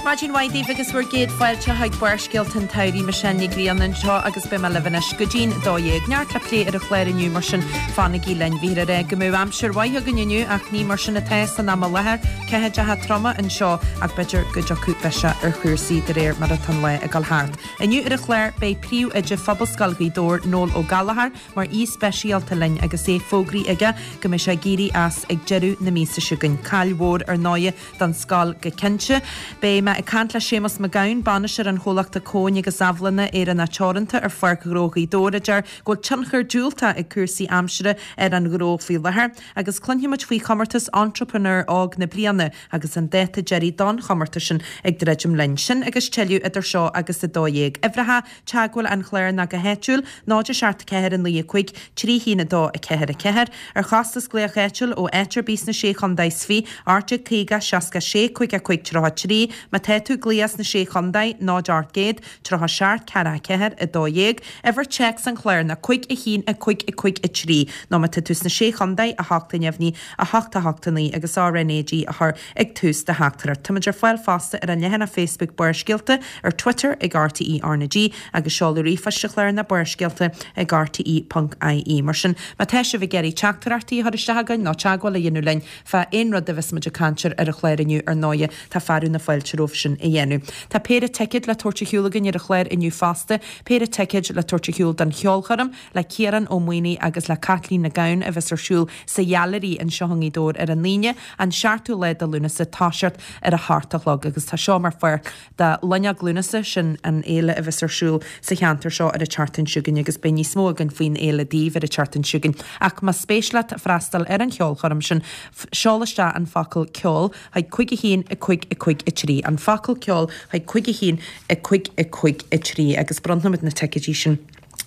Maidin mhaith daoibh agus bhur gcéad fáilte chuig Barrscéalta an tSamhraidh. Michelle Ní Ghrianna anseo agus beidh mé libh anois go dtí'n 12. Neart le plé ar an chlár inniu mar sin fanaigí linn. Bhíthear ag rá go mbeadh aimsir mhaith againn inniu ach ní mar sin atá san am i láthair. Ceathaideacha troma anseo ach b'fhéidir go dtiocfaidh biseach ar chúrsaí de réir mar atá an lá ag dul thart. Inniu ar an chlár beidh Príomhoide Phobalscoil Ghaoth Dobhair, Noel Ó Gallchóir, mar aoi speisialta linn agus é fógraithe aige go mbeidh sé ag éirí as ag deireadh na míosa seo chugainn. Caill mhór ar ndóighe don scoil go cinnte. Beidh mé ag caint le Séamus Mac Gabhann, bainisteoir an chomhlachta Cóin agus Abhlanna Éireannach Teoranta ar Pháirc Ghnó Ghaoth Dobhair a deir go bhfuil tionchar diúltach ag cúrsaí aimsire ar an ghnó faoi láthair. Agus cluinfidh muid faoi chomórtas Entrepreneur Óg na Bliana agus an dáta deiridh don chomórtas sin ag druidim linn. Sin agus tuilleadh idir seo agus 12. Uimhreacha teagmhála an chláir ná go háitiúil, 0 7 4 9 5 3 1 2 4 4. Ar chostas glaoch áitiúil ó áit ar bith sna Sé Chondae is 20, 1850 66 55 33. Má tá tú ag glaoch as na Sé Chondae, 0 800 37 4 4 12. Uimhir téacs an chláir ná 5 1 5 5 3 nó má tá tú sna Sé Chondae, 8 neamhní, 8 8 9 agus RnaG a chur ag tús do theachtaireacht. Táimid ar fáil fosta ar an leathanach Facebook Barrscéalta, ar Twitter ag RTÉ RnaG agus seoladh ríomhphoist an chláir ná barrscéalta ag rte.ie. Mar sin, má tá sibh ag iarraidh teachtaireachtaí a chur isteach chugainn nó teagmháil a dhéanamh linn fá aon rud a bheas muid ag caint air ar an chlár inniu, ar ndóighe, tá fearadh na fáilte romhaibh sin a dhéanamh. Tá péire ticéad le tabhairt ar shiúl againn ar an chlár inniu fosta, péire ticéad le tabhairt ar shiúl don cheolchoirm le Ciarán Ó Maonaigh agus le Caitlín Nic Gabhann a bheas ar siúl sa Ghailearaí anseo i nGaoth Dobhair ar an Aoine, an 7ú lá de Lúnasa, toiseacht ar a hocht a chlog agus tá seo mar pháirt de Loinneog Lúnasa, sin an fhéile a bheas ar siúl sa cheantar seo ar an tseachtain seo chugainn agus beidh níos mó againn faoin fhéile daoibh ar an tseachtain seo chugainn. Ach más spéis leat freastal ar an cheolchoirm sin, seol isteach an focal 'ceol' chuig 5 1 5 5 3, an focal 'ceol' chuig 5 1 5 5 3 agus bronnfaimid na ticéidí sin.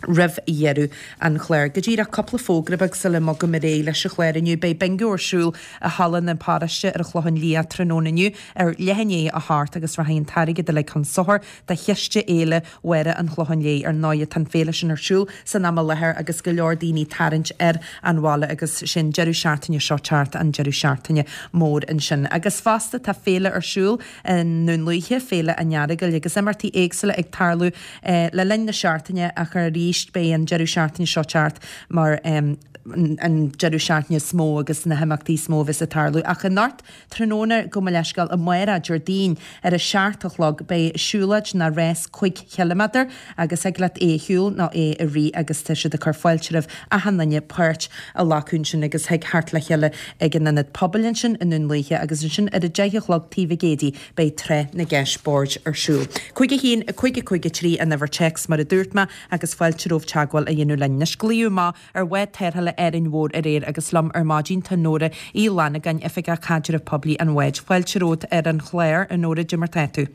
roimh dheireadh an chláir. Go díreach cúpla fógra beag sula mbogaim ar aghaidh leis an chlár inniu. Beidh bingo ar siúl i Halla na Paróiste ar an Chlochán Liath tráthnóna inniu ar leath i ndiaidh a hocht agus rachaidh an t-airgead uilig chun sochair do Chiste Fhéile Mháire an Chlocháin Léith. Ar ndóighe tá an féile sin ar siúl san am i láthair agus go leor daoine ag tarraingt ar an bhaile agus sin deireadh seachtaine seo teacht an deireadh seachtaine mór ansin. Agus fosta tá féile ar siúl i nDún Lúiche, Féile an Earagail agus imeachtaí éagsúla ag tarlú Le linn na seachtaine ach arís beidh an deireadh seachtaine seo teacht mar an deireadh seachtaine is mó agus na himeachtaí is mó a bheas ag tarlú. Ach anocht tráthnóna, gabh mo leithscéal, amárach, Déardaoin, ar a seacht a chlog beidh siúlóid nó rás 5 chiliméadar agus thig leat é a shiúl nó é a rith agus tá siad ag cur fáilte roimh achan duine páirt a ghlacadh ansin agus thig theacht le chéile ag an ionad pobail ansin i nDún Lúiche agus ansin ar a deich a chlog taobh Mhig Éadaigh Beidh Tráth na gCeist Boird ar siúl. 5 1 5 5 3 an uimhir téacs mar a dúirt mé agus fáilte romhaibh teagmháil a dhéanamh linn. Anois glaodh amach ar bhád tarrthála Árainn Mhór aréir agus liom ar maidin tá Nóra Uí Fhlannagáin, Oifigeach Caidrimh Poiblí an bháid. Fáilte romhat ar an chlár, a Nóra, cad é mar tá tú?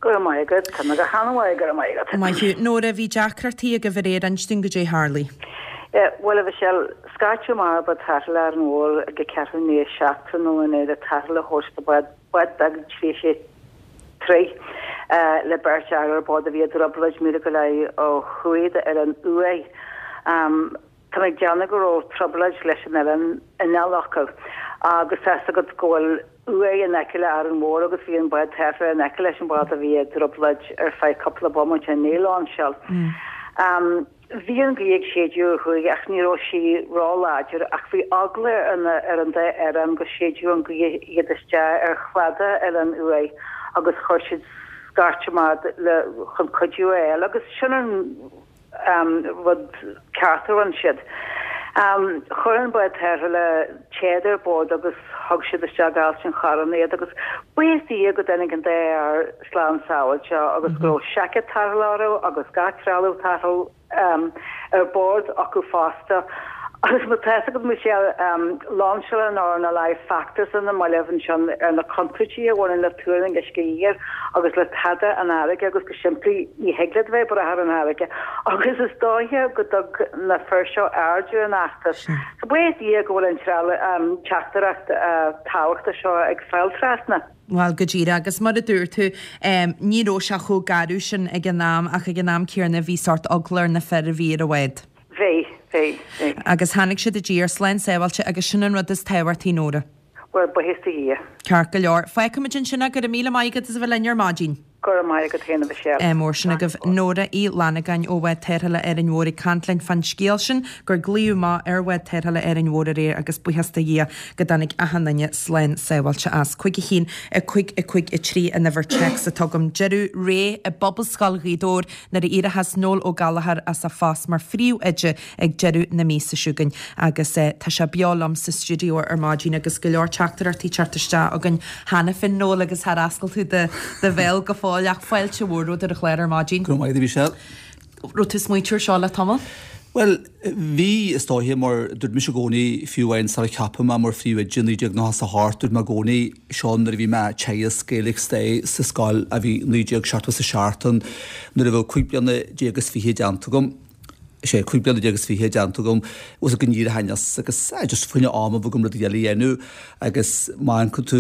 Go raibh maith agat, tá mé go han-mhaith, go raibh maith agat. Maith thú. Nóra, bhí deacrachtaí agaibh aréir, inis dúinn goidé a tharlaigh. Bhuel, a Mhichelle, scairteadh amach ar bhád tarrthála Árainn Mhór ag ceathrú i ndiaidh a 7 tráthnóna inné le tarrtháil a thabhairt do bhád Bád beag 36 troigh le beirt fhear ar bord a bhí i dtrioblóid míle go leith ó thuaidh d'Oileán Uaighe. Tá mé ag déanamh go raibh trioblóid leis an oileán inneall acu agus tá fhios agat go bhfuil Uaigh in aice le Árainn Mhór agus bhí an bád tarrthála in aice leis an bhád a bhí i dtrioblóid ar feadh cúpla bomaite i ndiaidh lainseáil. Bhí an ghaoth ag séideadh ó thuaidh ach ní raibh sí ró-láidir ach bhí eagla ar an dá fhear ann go séidfeadh an ghaoth iad isteach ar chladach Oileán Uaighe agus chuir siad scairt amach le chun cuidiú a fháil agus sin an rud ceart a rinne siad. Chuir an bád tarrthála téad ar bord agus thug siad isteach Ailt an Chorráin iad agus buíochas do Dhia go dtáinig an dá fhear slán sábháilte agus go raibh seaicéad tarrthála orthu agus gach trealamh tarrthála ar bord acu fosta. Agus má tá fhios agat Michelle, lainseáil an RNLI feachtas ar na mallaibh ansin ar na contúirtí a bhaineann le tuar an uisce oighir agus le tada an fharraige agus go simplí ní thig leat bheith ag brath ar an fharraige agus is dóiche go dtug na fir seo aird ar an fheachtas. So buíochas do Dhia go bhfuil an teachtaireacht tábhachtach seo ag fáil trasna. Bhuel, go díreach. Agus mar a dúirt tú, ní raibh sé chomh garbh sin ag an am ach ag an am céanna bhí sórt eagla ar na fir a bhí ar an bhád. Bhí, bhí, bhí. Agus tháinig siad i dtír slán sábháilte agus sin an rud is tábhachtaí, Nóra. Bhuel, buíochas do Dhia. Ceart go leor. Fágfaimid ansin é. Go raibh míle maith agat as a bheith linn ar maidin. Go raibh maith agat féin, a Mhichelle. Ádh mór sin agaibh. Nóra Uí Fhlannagáin ó Bhád Tarrthála Árainn Mhór ag caint linn fán scéal sin gur glaodh amach ar Bhád Tarrthála Árainn Mhór aréir agus buíochas do Dhia go dtáinig achan duine slán sábháilte as. 5 1 5 5 3 an uimhir téacs atá agam. Deireadh ré i bPobalscoil Ghaoth Dobhair nuair a éireochas Noel Ó Gallchóir as a phost mar phríomhoide ag deireadh na míosa seo chugainn agus tá sé beo liom sa stiúideo ar maidin agus go leor teachtaireachtaí teacht isteach againn cheana féin, Noel, agus char oscail tú do bhéal go fóill ach fáilte mhór romhat ar an chlár ar maidin. Go raibh maith agat, a Mhichelle. Raibh tú ag smaointiú ar seo le tamall? Bhuel, bhí, is dóiche, mar dúirt mise i gcónaí, fiú amháin sar a ceapadh mé mar phríomhoide i 1998, dúirt mé i gcónaí, seo nuair a bhí mé ag teagasc Gaeilge Stair sa scoil a bhí 1977 ann, nuair a bheadh 25 bliana is fiche déanta agam. sé, 25 bliana is fiche déanta agam, bhfuil go n-éireochainn as agus just fá choinne am a bheith agam rudaí eile a dhéanamh agus má amharcann tú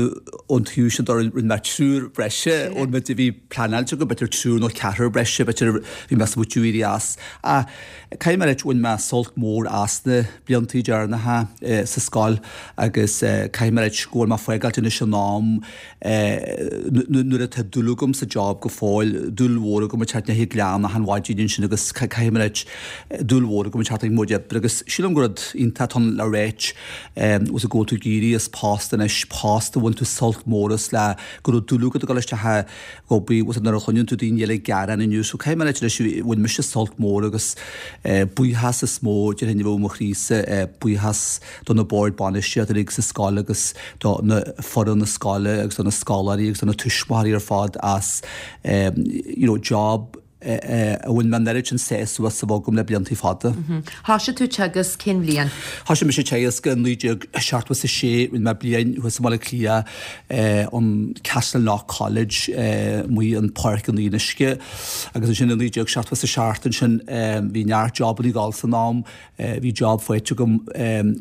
ón taobh sin de rinne mé triúr breise ón méid a bhí pleanáilte agam, b'fhéidir triúr nó ceathrar breise, b'fhéidir bhí mé ag smaoitiú éirí as. Ach caithfidh mé a ráit bhain mé sult mór as na bliantaí deireanacha sa scoil agus caithfidh mé a ráit go bhfuil mé ag fágáilt anois in am nuair atá dúil agam sa job go fóill, dúil mhór agam ag teacht i ndiaidh gleann achan mhaidin ansin agus caithfidh mé a ráit, dúil mhór agam ag teacht ag mo chuid oibre agus sílim gur rud iontach atá ann le ráit, bhfuil go bhfuil tú ag éirí as post anois, post a bhain tú sult mór as le go raibh dúil agat ag dul isteach ag obair, bhfuil nuair a chluineann tú daoine eile ag gearán inniu, so caithfidh mé a ráit anois, bhain mise sult mór agus buíochas is mó déarfainn a bheadh i mo chroísa, buíochas do na boird bainistíochta uilig sa scoil agus do na foireann na scoile agus do na scoláirí agus do na tuismitheoirí ar fad as you know job a bhain mé an oiread sin sásamh as a bheith agam le bliantaí fada. Thoisigh tú teagasc cén bhliain? Thoisigh mise teagasc i 1976, rinne mé bliain thuas i mBaile Átha Cliath an Castleknock College amuigh in Páirc an Fhionnuisce agus ansin i 1977 ansin bhí neart jobannaí ag dul san am Bhí job faighte agam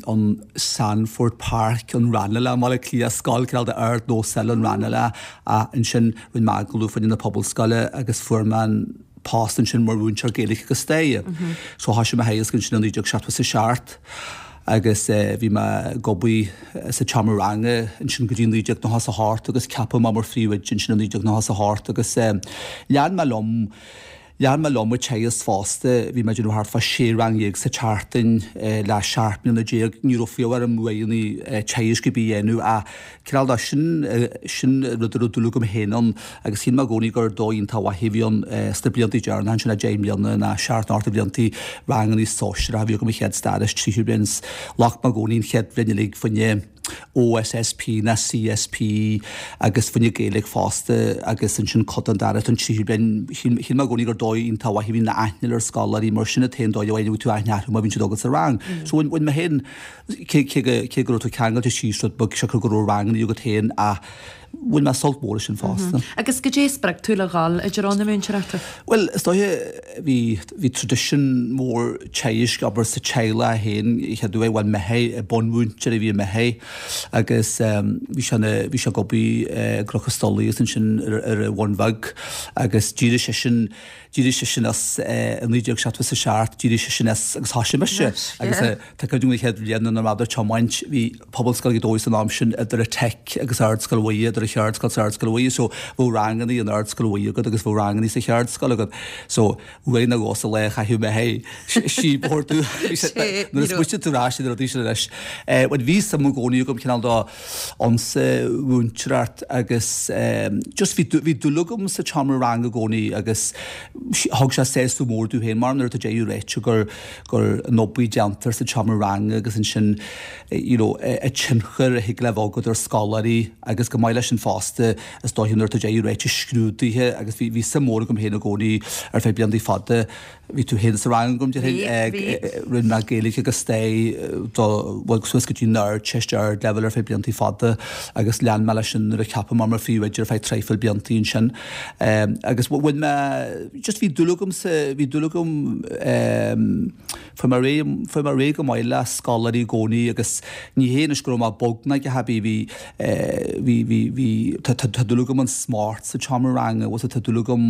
an Sandford Park, an Ranelagh i mBaile Átha Cliath, scoil cineál de ardnós eile an Ranelagh ach ansin rinne mé agallamh fá choinne na Pobalscoile agus fuair mé an post ansin mar mhúinteoir Gaeilge agus Staire. So thoisigh mé a theagasc ansin i 1977 agus bhí mé ag obair sa tseomra ranga ansin go dtí 1998 agus ceapadh mé mar phríomhoide ansin i 1998 agus lean mé liom Lean mé liom ag teagasc fosta, bhí mé ag déanamh thart fá sé rang dhéag sa tseachtain le 17 mbliana. Ní raibh fiú orm uaireanna teagaisc ar bith a dhéanamh ach cineál de sin, sin rud a raibh dúil agam féin ann agus shíl mé i gcónaí gur dóigh iontach mhaith a bhí ann sna bliantaí deireanacha ansin, 10 mbliana nó seacht nó ocht de bhliantaí, rangannaí sóisearacha a bhí agam an chéad stair is tríú bliain. Ghlac mé i gcónaí an chéad bhliain uilig fá choinne. OSSP ná CSP agus fá choinne Gaeilge fosta agus ansin cuid den dara don tríú bliain. Shíl mé i gcónaí gur dóigh iontach mhaith a bhí ann aithne ar scoláirí mar sin an t-aon dóigh a bhfaigheann tú aithne orthu má bhíonn siad agat sa rang. So bhain mé féin, cé cé go raibh tú ceangailte síos rud beag siocair go raibh rangannaí agat féin ach bhain mé sult mór as sin fosta. Agus goidé a spreag tú le dhul i dtreo na múinteoireachta? Bhuel, is dóiche, bhí, bhí tradition mór teagaisc, abair, sa teaghlach féin, chéad uair, bhuel, m'athair, bunmhúinteoir a bhí i m'athair agus bhí sé ina, bhí sé ag obair i gCnoc an Stolaigh agus ansin ar, ar an Bhun Bheag agus d'éirigh seisean, d'éirigh seisean as i 1977, d'éirigh seisean as agus thoisigh mise agus tá cuimhne agam an chéad bhliain nuair a bhí mé ag tiomáint, bhí Pobalscoil Ghaoth Dobhair san am sin idir an Teic agus Ardscoil Mhuire, idir an Cheardscoil is Ardscoil Mhuire so bheadh rangannaí in Ardscoil Mhuire agat agus bheadh rangannaí sa Cheardscoil agat so uair nó dhó sa lá chaithfeadh m'athair síob a thabhairt dúinn nuair a smaoitíonn tú ar ais ar na rudaí sin anois. Bhuel bhí suim i gcónaí agam cineál de sa mhúinteoireacht agus just bhí bhí dúil agam sa tseomra ranga i gcónaí agus thug sé sásamh mór domh féin mar nuair atá deireadh ráite gur gur an obair déantar sa tseomra ranga agus ansin you know an tionchar a thig le bheith agat ar scoláirí agus chomh maith leis sin fosta is dóiche nuair atá deireadh ráite scrúduithe agus bhí bhí suim mhór agam féin i gcónaí ar feadh bliantaí fada bhí tú féin sa rang agam déarfainn rinne mé Gaeilge agus Stair do bhuel suas go dtí an Ardteist ardleibhéal ar feadh bliantaí fada agus lean mé leis sin nuair a ceapadh mé mar phríomhoide ar feadh traidhfil bliantaí ansin agus bhain mé just bhí dúil agam sa bhí dúil agam Fuair mé réidh, fuair mé réidh go maith le scoláirí i gcónaí agus ní hé anois go raibh mé bog ná a dhath ar bith, bhí, bhí, bhí, bhí. bhí, tá, tá, tá dúil agam an smacht sa tseomra ranga, bhfuil tá dúil agam,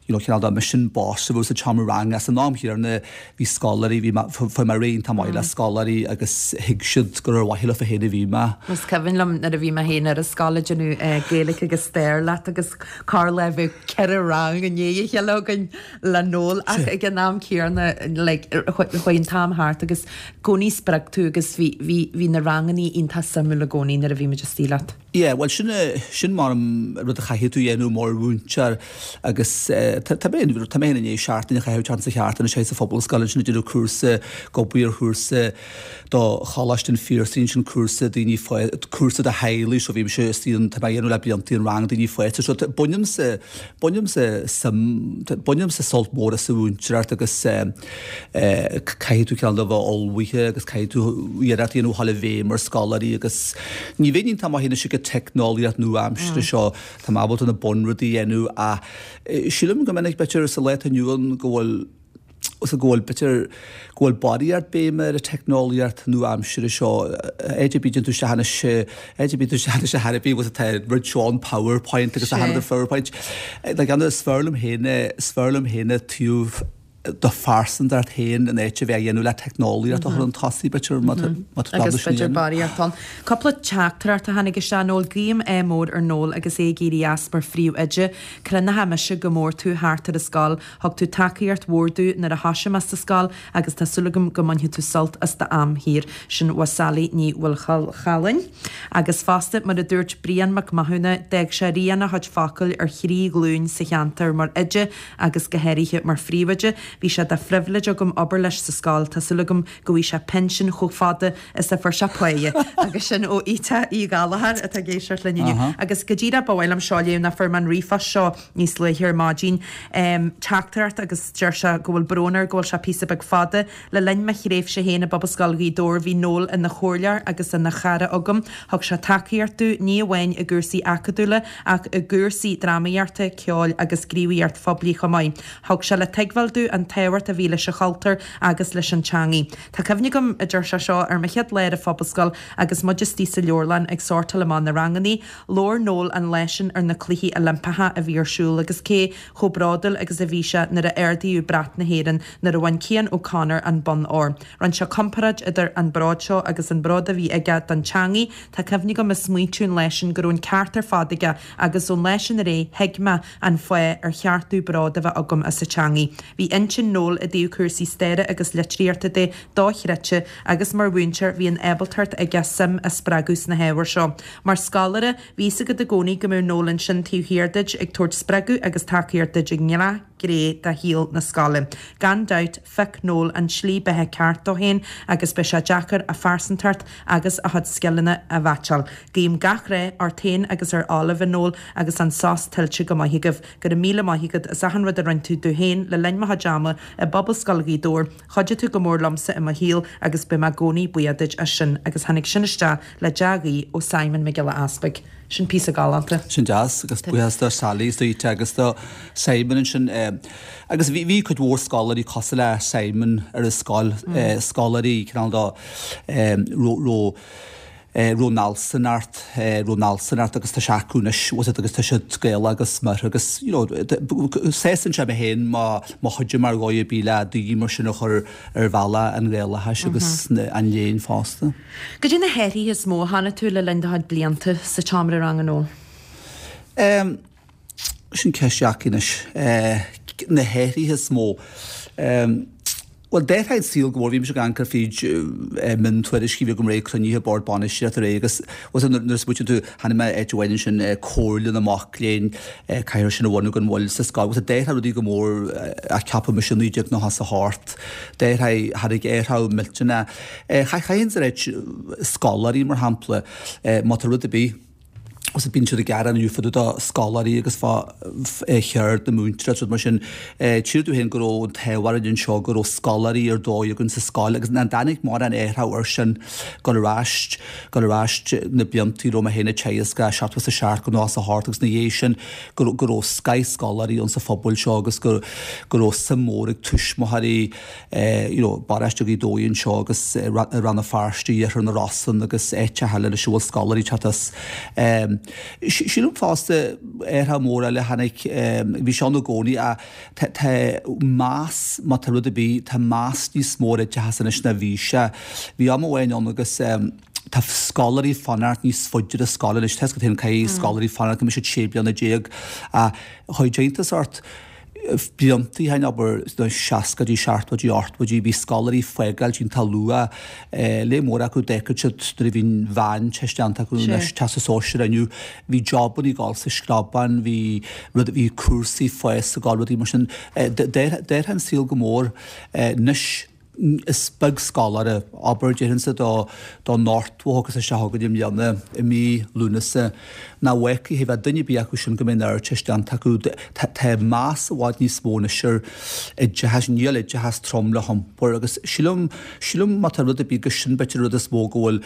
you know, cineál de mise an boss a bheadh sa tseomra ranga. San am chéanna bhí scoláirí, bhí mé, fuair mé réidh iontach maith le scoláirí agus thuig siad gur ar mhaithe leo féin a bhí mé. Is cuimhin liom nuair a bhí mé féin ar an scoil ag déanamh Gaeilge agus Stair leat agus corrlá bheadh ceithre rang i ndiaidh a chéile againn le Noel ach ag an am céanna like chuaigh an t-am thart agus i gcónaí spreag tú agus bhí, bhí, bhí na rangannaí iontach suimiúil i gcónaí nuair a bhí muid istigh leat. Yeah, bhuel sin, sin mar an rud a chaithfidh tú a dhéanamh mar mhúinteoir agus tá, tá mé, tá mé féin i ndiaidh seachtain a chaitheamh teacht sa cheártain anseo sa Phobalscoil ansin ag déanamh cúrsa, ag obair ar chúrsa do Choláiste an Phiarsaigh ansin cúrsa daoine fá, cúrsa do theaghlaigh so bhí mise istigh an, tá mé a dhéanamh le blianta an rang daoine fásta so bainimse, Bainimse suim, bainimse sult mór as an mhúinteoireacht agus caithfidh tú cineál de bheith ullmhaithe agus caithfidh tú iarracht a dhéanamh a dhul i bhfeidhm ar scoláirí agus ní bheinn iontach maith anois ag an teicneolaíocht nua-aimseartha seo, tá mé ábalta na bunrudaí a dhéanamh ach sílim go minic b'fhéidir sa lá atá inniu ann go bhfuil go bhfuil, b'fhéidir, go bhfuil barraíocht béime ar an teicneolaíocht nua-aimseartha seo. Áit ar bith a dtéann tú isteach anois, áit ar bith a dtéann tú isteach anois ar chor ar bith, bhfuil tá rud seo an PowerPoint agus achan rud ar PowerPoint. Like, is fearr liom féin é, is fearr liom féin an taobh do phearsantacht féin in áit a bheith á dhéanamh le teicneolaíocht a chur chun tosaigh, b'fhéidir, má tá, má tá Agus b'fhéidir barraíocht ann. Cúpla teachtaireacht a tháinig isteach, Noel. Guím ádh mór ar Noel agus é ag éirí as mar phríomhoide. Crothóidh mise go mór tú thart ar an scoil. Thug tú tacaíocht mhór domh nuair a thoisigh mé sa scoil agus tá súil agam go mbainfidh tú sult as d'am shaor. Sin ó Sally Ní Mhaolchalláin. Agus fosta, mar a dúirt Brian Mac Mathúna, d'fhág sé rian a chuid focail ar thrí ghlúin sa cheantar mar oide agus go háirithe mar phríomhoide. Bhí sé de phribhléid agam obair leis sa scoil. Tá súil agam go bhfaighidh sé pinsean chomh fada is a fuair sé páighe. Agus sin ó Ita Uí Ghallchóir atá ag éisteacht linn inniu. Agus go díreach ba mhaith liom seo a léamh nó fuair mé an ríomhphost seo níos luaithe ar maidin. Teachtaireacht agus deir sé go bhfuil brón air go bhfuil sé píosa beag fada. Le linn mo thréimhse féin i bPobalscoil Ghaoth Dobhair bhí Noel ina chomhairleoir agus ina chara agam. Thug sé tacaíocht domh ní amháin i gcúrsaí acadúla ach i gcúrsaí drámaíochta, ceoil agus gníomhaíocht phoiblí chomh maith. Thug sé le tuigbheáil domh an tábhacht a bhí leis an chultúr agus leis an teangaidh. Tá cuimhne agam, a deir sé seo, ar mo chéad lá ar an Phobalscoil agus muid istigh sa leabharlann ag sórtáil amach na rangannaí. Labhair Noel an lá sin ar na Cluichí Oilimpeacha a bhí ar siúl agus cé chomh bródúil agus a bhí sé nuair a ardaíodh brat na hÉireann nuair a bhain Cian O'Connor an bonn óir. Rinne sé comparáid idir an bród seo agus an bród a bhí aige don teangaidh. Tá cuimhne agam ag smaointiú an lá sin go raibh an ceart ar fad aige agus ón lá sin ar aghaidh thuig mé an fáth ar cheart domh bród a bheith agam as an teangaidh. Bhí intinn Noel i dtaobh cúrsaí staire agus litríochta de dochreidte agus mar mhúinteoir bhí an ábaltacht aige suim a spreagadh sna hábhair seo. Mar scoláire, bhí fhios agat i gcónaí go mbeadh Noel ansin taobh thiar duit ag tabhairt spreagadh agus tacaíocht duit i ngach gné de shaol na scoile. Gan dabht, phioc Noel an tslí beatha ceart dó féin agus beidh sé deacair a phearsantacht agus a chuid scileanna a mheaitseáil. Guím gach rath ort féin agus ar Olive, a Noel, agus an sos tuillte go maith agaibh. Go raibh míle maith agat as achan rud a rinne tú domh féin le linn mo chuid ama i bPobalscoil Ghaoth Dobhair. Chuidigh tú go mór liomsa i mo shaol agus beidh mé i gcónaí buíoch duit as sin. Agus tháinig sin isteach le dea-ghuí ó Simon Mac Giolla Easpaig. Sin píosa galánta. Sin deas, agus buíochas do Sally is do Ita agus do Simon ansin. Agus bhí, bhí cuid mhór scoláirí cosúil le Simon ar an scoil, scoláirí cineál de raibh, raibh Nelson ort, raibh Nelson ort agus tá sé acu anois, bhfuil a fhios agat agus tá siad Gaelach agus smior agus you know sásaíonn sé mé féin má má chuidim ar dhóigh ar bith le daoine mar sin a chur ar bhealach an Ghaelachais agus an léinn fosta. Cad é na hathruithe is mó a chonaic tú le linn do chuid blianta sa tseomra ranga Noel? Em, sin ceist dheacair anois. Eh, na hathruithe is mó. Em, bhuel, d'athraigh an saol go mór. Bhí mise ag amharc fríd eh, miontuairiscí, bhí agam aréir cruinnithe bord bainistíochta aréir agus bhfuil a fhios agat nuair a smaoitíonn tú, chonaic mé áit amháin ansin, eh, Comhairle na Mac Léinn, eh, caithfear sin a bhunú gan mhoill sa scoil. Bhfuil a fhios agat, d'athraigh rudaí go mór, eh, a ceapadh mise i 1998. D'athraigh, tháinig athrú millteanach. Eh, chaithfinn a ráit, scoláirí mar shampla, eh, má tá rud ar bith, agus bíonn siad ag gearán inniu fá dtaobh de scoláirí agus fá cheird na múinteoireachta agus rud mar sin. Tchífidh tú féin go raibh an t-ádh orainn anseo go raibh scoláirí ar dóigh againn sa scoil agus nach dtáinig mórán athrú air sin dul ar ais, dul ar ais na blianta a raibh mé féin ag teagasc i 77 go 98 agus ina dhiaidh sin go go raibh scoth scoláirí ann sa phobal seo agus go go raibh suim mhór ag tuismitheoirí you know, paróiste Ghaoth Dobhair anseo agus Rann na Feirste, Iarthar na Rosann agus áiteacha eile anois a bhfuil scoláirí ag teacht as. Sílim fosta, athrú mór eile a tháinig, bhí sé ann i gcónaí ach tá meas, má tá rud ar bith, tá meas níos mó ar oideachas anois ná bhí sé. Bhí am amháin ann agus tá scoláirí fanacht níos faide ar scoil anois. Tá a fhios agat féin caithfidh scoláirí fanacht go mbeidh siad 16 bliana ach chuir iontas ort blianta ó shin, abair, sna seascaidí, seachtóidí, ochtóidí, bhí scoláirí ag fágáil iontach luath. Lear mór acu, d'fhágfadh siad nuair a bhí an mheánteist déanta acu, anois Teastas Sóisearach inniu, bhí jobanna ag dul sa screabán, bhí rud, bhí cúrsaí fáis ag dul, rudaí mar sin. D'athraigh an saol go mór. Anois. Is beag scoláire, abair, déarfainnse don 80 a thiocfas isteach chugainn i mbliana, i mí Lúnasa, nach bhfágfaidh a bheith duine ar bith acu sin go mbeidh an Ardteist déanta acu. Tá meas i bhfad níos mó anois ar oideachas, níl oideachas trom le hiompar agus sílim, sílim má tá rud ar bith go sin b'fhéidir an rud is mó go bhfuil,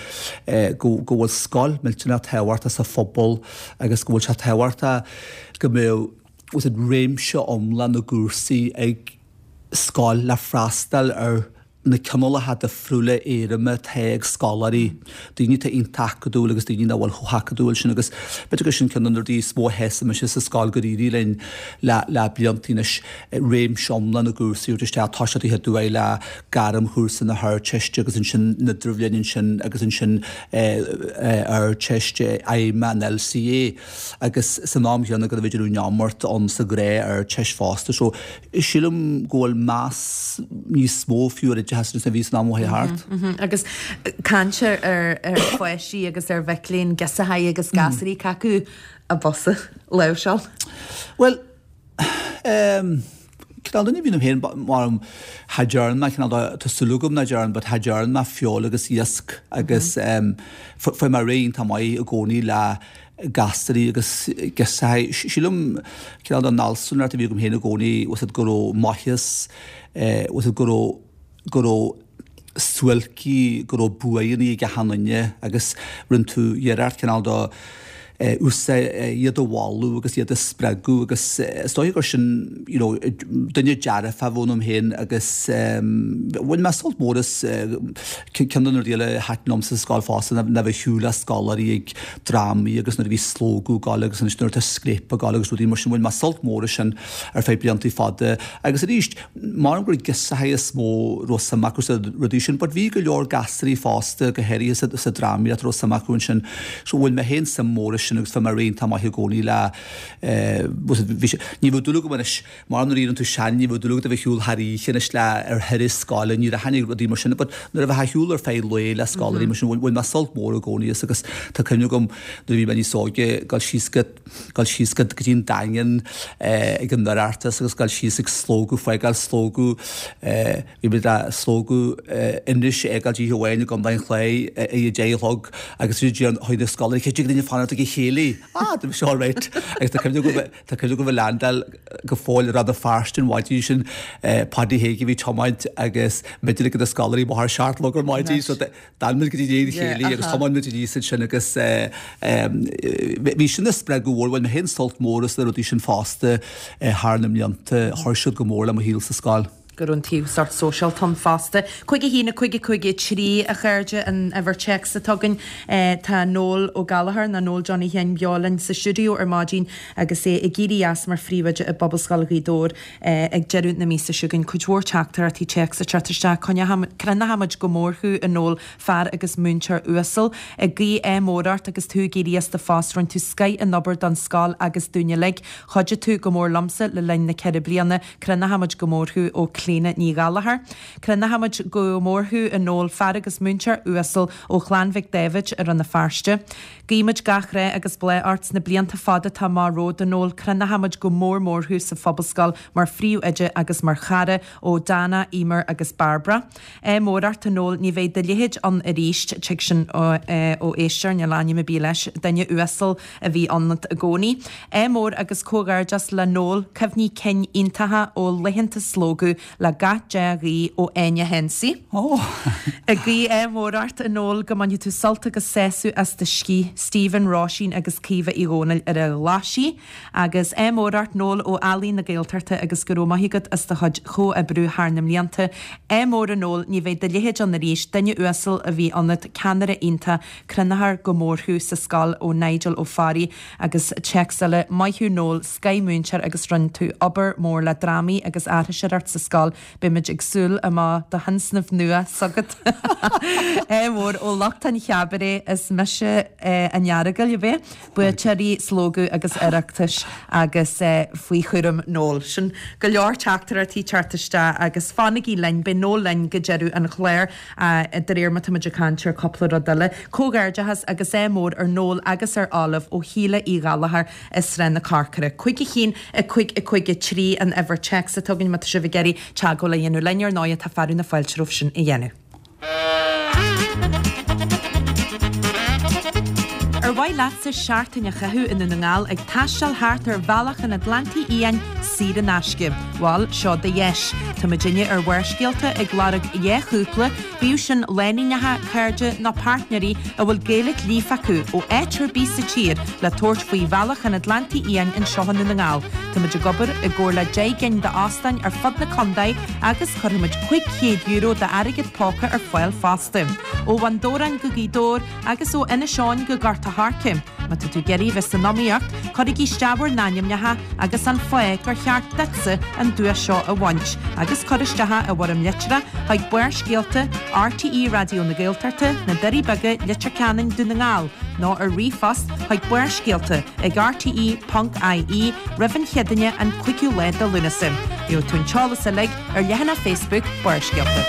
go bhfuil scoil millteanach tábhachtach sa phobal agus go bhfuil sé tábhachtach go mbeadh réimse iomlán na gcúrsaí ag scoil le freastal ar na cineálacha difriúla éirime atá ag scoláirí, daoine atá iontach acadúil agus daoine nach bhfuil chomh hacadúil sin agus b'fhéidir gur sin ceann de na rudaí is mó a sheasann mise sa scoil gur éirigh linn le le blianta anois réimse iomlán na gcúrsaí a thabhairt isteach, toiseacht an chéad uair le gairmchúrsa na hArdteiste agus ansin an Idirbhliain ansin agus ansin Ardteist fheidhmeach an LCA agus san am chéanna go raibh idir an iomairt ann sa ghnáth-Ardteist fosta so Sílim go bhfuil meas níos mó fiú ar oideachas anois ná bhí san am a chuaigh thart. Agus caint ar pháistí agus ar mhic léinn, girseachaí agus gasúraí, cé acu ab fhusa láimhseáil? Bhuel, cineál duine a bhí ionam féin, mar cha dtearn mé, cineál de, tá súil agam nach dtearn, but cha dtearn mé feoil agus iasc agus fuair mé réidh iontach maith i gcónaí le gasúraí agus girseachaí. Sílim, cineál den fhealsúnacht a bhí agam féin i gcónaí, was it go raibh maitheas, was it go raibh, go raibh suáilcí, go raibh buanna ag achan duine agus rinne tú iarracht cineál de úsáid, iad a mholadh agus iad a spreagadh agus is dóiche gur sin, you know, duine dearfach a bhí ionam féin agus bhain mé sult mór as ceann de na rudaí eile a thaitin liomsa sa scoil fosta ná bheith ag siúl le scoláirí ag drámaí agus nuair a bhí Slógadh ag gabháil agus anois nuair atá Scléip ag gabháil agus rudaí mar sin, bhain mé sult mór as sin ar feadh blianta fada. Agus arís, measaim gur girseachaí is mó a raibh suim acu sna rudaí sin, but bhí go leor gasúraí fosta, go háirithe sa, sa drámaíocht a raibh suim acu ansin. So bhain mé féin suim mór as sin agus bhí mé réidh iontach maith i gcónaí le, eh, bhí sé, ní bheadh dúil agam anois, Mar nuair a éiríonn tú sean ní bheadh dúil agat a bheith ag siúl thar oíche anois le ar thuras scoile, ní rachainn ag rudaí mar sin but nuair a bheifeá ag siúl ar feadh lae le scoláirí mar sin bhain mé sult mór i gcónaí as agus tá cuimhne agam nuair a bhí mé níos óige dul síos go dul síos go go dtí an Daingean ag an Oireachtas agus dul síos ag slógadh fágáil slógadh bhí muid ag slógadh Inis a fhágáil oíche amháin i gContae an Chláir ag a deich a chlog agus bhí chuaigh na scoláirí cé dtig linn fanacht ag an chéilí ah bhí sé alright agus tá cuimhne agam Tá cuimhne agam ag leaindeáil go fóill i Rann na Feirste an mhaidin sin, Paddy Hague a bhí ag tiomáint agus muidne ag na scoláirí amach ar a seacht a chlog ar maidin so d'fhan muid go dtí an chéilí agus thiomáin muid aníos ansin agus bhí sin ina spreagadh mhór, bhain mé féin sult mór as na rudaí sin fosta thar na mblianta, chuir siad go mór le mo shaol sa scoil. go raibh an taobh sórt sóisialta ann fosta. 5 1 5 5 3 a chairde an uimhir téacs atá againn. Tá Noel Ó Gallchóir nó Noel Johnny Sheáin beo linn sa stiúideo ar maidin agus é ag éirí as mar phríomhoide i bPobalscoil Ghaoth Dobhair ag deireadh na míosa seo chugainn. Cuid mhór teachtaireachtaí téacs ag teacht isteach. Crothnaímid go mór thú a Noel, fear agus múinteoir uasal. Ag guí ádh mór ort agus tú ag éirí as do phost. Rinne tú scoith den obair don scoil agus dúinn uilig. Chuidigh tú go mór liomsa le linn na ceithre bliana. Crothnaímid go mór thú ó Clíona Ní Ghallchóir. Crothnaímid go mór thú a Noel, fear agus múinteoir uasal ó Chlann Mhic Dáibhid i Rann na Feirste. Guímid gach rath agus bláth ort sna blianta fada atá amach romhat a Noel. Crothnaímid go mór mór thú sa Phobalscoil mar phríomhoide agus mar chara ó Dana, Emer agus Barbara. Ádh mór ort a Noel, ní bheidh do leithéid ann arís, tig sin ó éisteoir, níl ainm ar bith leis, duine uasal a bhí ionat i gcónaí. Ádh mór agus comhghairdeas le Noel, cuimhní cinn iontacha ó laethanta Slógadh. Le gach dea-ghuí ó Áine Hensey. Ag guí ádh mór ort, a Noel, go mbainfidh tú sult agus sásamh as do scíth. Stephen, Róisín agus Caoimhe Uí Dhónaill ar an Ghlaisigh. Agus ádh mór ort, Noel, ó Ealaín na Gaeltachta agus go raibh maith agat as do chuid chomhoibriú thar na mblianta. Ádh mór a Noel, ní bheidh do leithéid ann arís, duine uasal a bhí ionat, ceannaire iontach, Croinneofar go mór thú sa scoil ó Nigel Ó Fearraigh agus téacs eile, Maith thú Noel, scoth-mhúinteoir agus rinne tú obair mór le drámaí agus aithriseoireacht sa scoil, beimid ag súil a mbeadh do thionscnamh nua s'agat. Ádh mór ó lucht an chabaret is mise an Earagail, ab é? Buaiteoirí Slógadh agus Oireachtais agus faoi chúram Noel. Sin go leor teachtaireachtaí teacht isteach agus fanaigí linn, beidh Noel linn go deireadh an chláir de réir mar táimid ag caint ar cúpla rud eile. Comhghairdeachas agus ádh mór ar Noel agus ar Olive ó Shíle Uí Ghallchóir i Srath na Corcra. 5 1 5 5 3 an uimhir téacs atá againn má tá sibh ag iarraidh teagmháil a dhéanamh linn ar ndóigh tá fearadh na fáilte romhaibh sin a dhéanamh. Ar mhaith leatsa seachtain a chaitheamh i nDún na nGall ag taisteal thart ar Bhealach an Atlantaigh Fhiáin saor in aisce? Bhal, seo do dheis. Tá muidinne ar Bharrscéalta ag lorg 2 chúpla, bíodh sin lánúineacha, cairde nó páirtnéirí a bhfuil Gaeilge líofa acu, ó áit ar bith sa tír le tabhairt faoi Bhealach an Atlantaigh Fhiáin anseo i nDún na nGall. Táimid ag obair i gcomhar le 10 gcinn d'óstáin ar fud na contae agus cuirfimid €500 d'airgead póca ar fáil fosta. Ó Bhun Dobhráin go Gaoth Dobhair agus ó Inis Eoghain go Gort a' Choirce. Má tá tú ag iarraidh bheith san iomaíocht, cuirigí isteach bhur n-ainmneacha agus an fáth gur cheart duitse an duais seo a bhaint agus cuir isteach i bhfoirm litreach chuig Barrscéalta, RTÉ Raidió na Gaeltachta, Na Doirí Beaga, Leitir Ceanainn, Dún na nGall nó ar ríomhphost chuig barrscéalta ag rte ponc ie roimh an Chéadaoine an 5ú lá de Lúnasa. Gheobhaidh tú an t-eolas uilig ar leathanach Facebook Barrscéalta.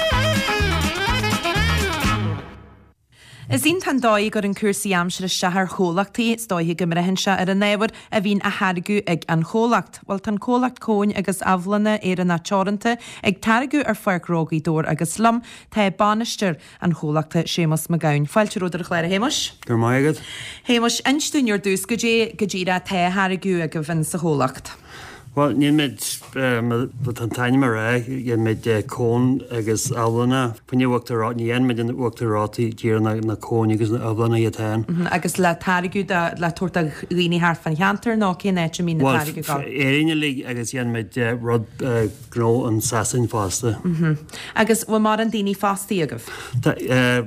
Is iontach an dóigh a gcuireann cúrsaí aimsire isteach ar chomhlachtaí, is dóiche go mbraitheann sé ar an ábhar a bhíonn á tháirgeadh ag an chomhlacht. Bhuel, tá an comhlacht Cóin agus Abhlanna Éireannach Teoranta ag táirgeadh ar Pháirc Ghnó Ghaoth Dobhair agus liom tá bainisteoir an chomhlachta, Séamus Mac Gabhann. Fáilte romhat ar an chlár, a Shéamuis. Go raibh maith agat. Shéamuis, inis dúinn ar dtús goidé go díreach atá á tháirgeadh agaibh in sa chomhlacht. Bhuel, déanaimid, mar tá an t-ainm ag rá, déanaimid cóin agus abhlanna. Fá choinne uachtar reoite, ní dhéanaimid an uachtar reoite díreach na na cóin agus na abhlanna iad féin. Agus le táirgeadh do, le tabhairt do dhaoine thart fán cheantar nó cén áit a mbíonn an táirge ag gabháil? Bhuel, Éirinn uilig agus déanaimid rud gnó in Sasain fosta. Agus bhfuil mórán daoine fostaithe agaibh? Tá,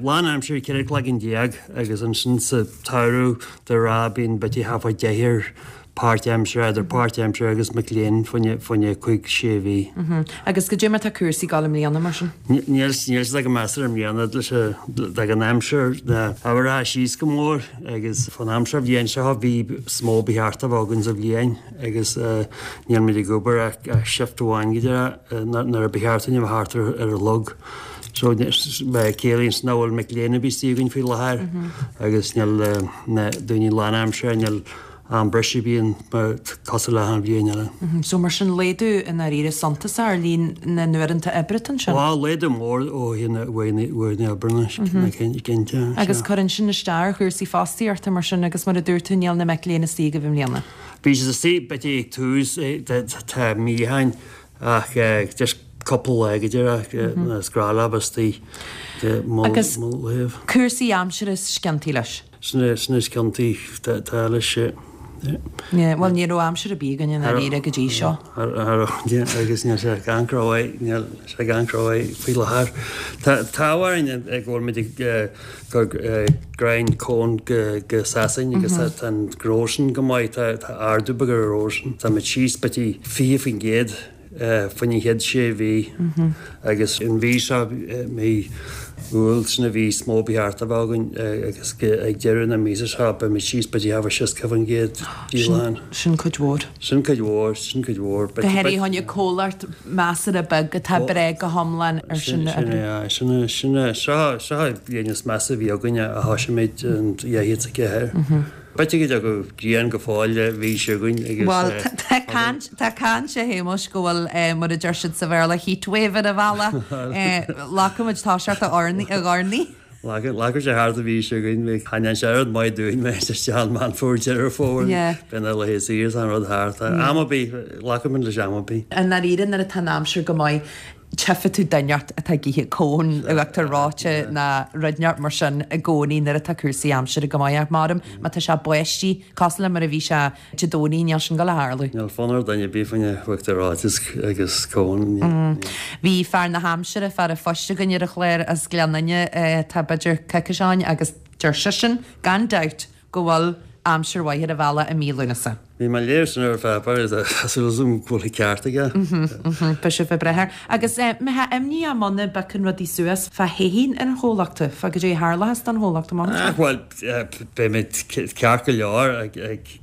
lán aimsire 14 cloigeann agus ansin sa tsamhradh de ghnáth bíonn b'fhéidir thart fá deichniúr páirt-aimsire, idir páirt-aimsire agus mic léinn fá choinne cúig, sé mhí. Agus goidé mar tá cúrsaí ag dul i mbliana mar sin? Níl siad go measartha i mbliana leis an aimsir, na athraithe síos go mór agus fán am seo bhliain seo bhí is mó ba cheart a bheith againn sa bhliain. agus níl muid ag obair ach shift amháin go díreach nuair a ba cheart dúinn a bheith thart ar an gclog. So ciallaíonn sin nach bhfuil mic léinn ar bith istigh againn faoi láthair agus níl na daoine lánaimseartha, níl am briseadh ar bith ann mar cosúil le achan bhliain eile. So mar sin laghdú i ndáiríre suntasach ar líon na n-uaireanta oibre ansin? Bhuel, laghdú mór ó thaobh uaireanta oibre cinnte. Agus cuireann sin isteach ar chúrsaí fostaíochta mar sin agus mar a dúirt tú níl na mic léinn istigh agaibh i mbliana. Bhí siad istigh b'fhéidir ag tús tá mí ó shin ach just cúpla lá go díreach is gnách leo istigh de mo Agus thaobh. cúrsaí aimsire is ciontaí leis? Sin é sin is ciontaí tá leis yeah. Yeah, bhuel ní raibh aimsir ar bith againn i ndáiríre go dtí seo. Agus níl sé ag amharc rómhaith, níl sé ag amharc rómhaith faoi láthair. Tá an t-ádh orainn go bhfuil muid ag cur gráin cón go Sasain agus tá an gnó sin go maith, tá ardú beag ar an ghnó sin. Táimid síos b'fhéidir 20% faoin an chéad sé mhí agus an mhí seo, mí Iúil, sin an mhí is mó ba cheart a bheith againn agus ag deireadh na míosa seo beimid síos b'fhéidir thart fá 60% díolachán. Sin cuid mhór. Sin cuid mhór, sin cuid mhór. Go háirithe fá choinne comhlacht measartha beag atá ag brath go hiomlán ar sin a oibriú. Sin é, sin é, seo, seo an bhliain is measa a bhí againn ó thosaigh muid in 2004. B'fhéidir go dtiocfaidh grian go fóill an mhí seo chugainn agus. Bhuel, tá caint, tá caint a Shéamuis go bhfuil, mar a deir siad sa Bhéarla, heatwave ar an bhealach. Glacfaimid toiseacht a urnaí. Glacfaidh sé thart an mhí seo chugainn, bhí chan sé oiread maith dúinn mé isteach an Meán Fómhair, Deireadh Fómhair, bíonn na laetha saor is an rud thart. Am ar bith, glacfaimid leis am ar bith. I ndáiríre nuair atá an aimsir go maith. Tchífidh tú duine inteacht atá ag ithe cón uachtar reoite ná rud inteacht mar sin i gcónaí nuair atá cúrsaí aimsire go maith ach maram má tá sé báistí cosúil le mar a bhí sé Dé Domhnaigh níl sin ag gabháil a tharlú. Níl fonn ar dhuine ar bith fá choinne uachtar reoite agus cón. Bhí fear na haimsire, fear an phoist againn ar an chlár as Gleann Fhinne tá b'fhéidir coicís ó shin agus deir seisean gan dabht go bhfuil aimsir mhaith ar an bhealach i mí Lúnasa. Bhí mé ag léamh sin ar an pháipéar agus tá súil agam go bhfuil an ceart aige. Beidh sibh ag brath air. Agus mbeifeá imníoch muna bpiocann rudaí suas fá Shéithín ar an chomhlacht, fá goidé a tharlóchas don chomhlacht amach anseo. Bhuel, beimid ceart go leor,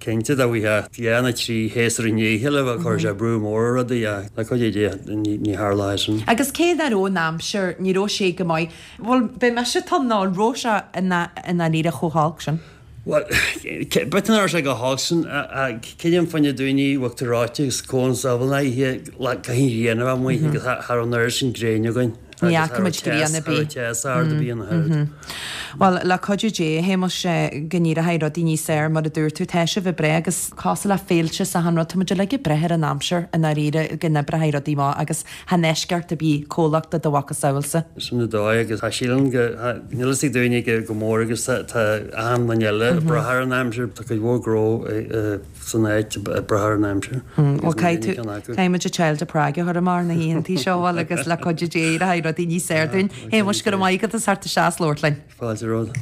cinnte, dá bhfaighfeá dhá nó 3 shéasúr i ndiaidh a chéile bheadh chuirfeadh sé brú mór ar rudaí ach le cuidiú Dé ní tharlóidh sin. Agus cé nach raibh an aimsir, ní raibh sé go maith, bhuel beidh mise tinn nó an raibh sé i ndáiríre chomh holc sin? Bhuel, b'fhéidir nach raibh sé chomh holc sin, ach creidim fá choinne daoine uachtar reoite agus cóin sábháil a ithe, caithfidh an ghrian a bheith amuigh agus cha raibh an oiread sin gréine againn. Ní fhaca muid grian ar bith. Cha raibh teas ard ar bith ina thaobh. Bhuel, le cuidiú Dé, a Shéamais, go n-éireoidh rudaí níos fearr, mar a dúirt tú, tá sibh ag brath agus cosúil le féilte is achan rud, tá muid uilig ag brath ar an aimsir i ndáiríre go n-oibreoidh rudaí maith agus Chan eisceacht ar bith comhlacht de do mhacasamhailsa. Sin an dóigh agus tá sílim go, níl fhios ag daoine go go mór agus tá tá achan duine eile ag brath ar an aimsir, tá cuid mhór gnó san áit ag brath ar an aimsir Bhuel caithfidh tú, caithfidh muid an Child of Prague a chur amach ar na hoícheantaí seo bhuel agus le cuidiú Dé éireoidh rudaí níos fearr dúinn. Shéamuis, go raibh maith agat as theacht isteach is labhairt linn. Fáilte romhat.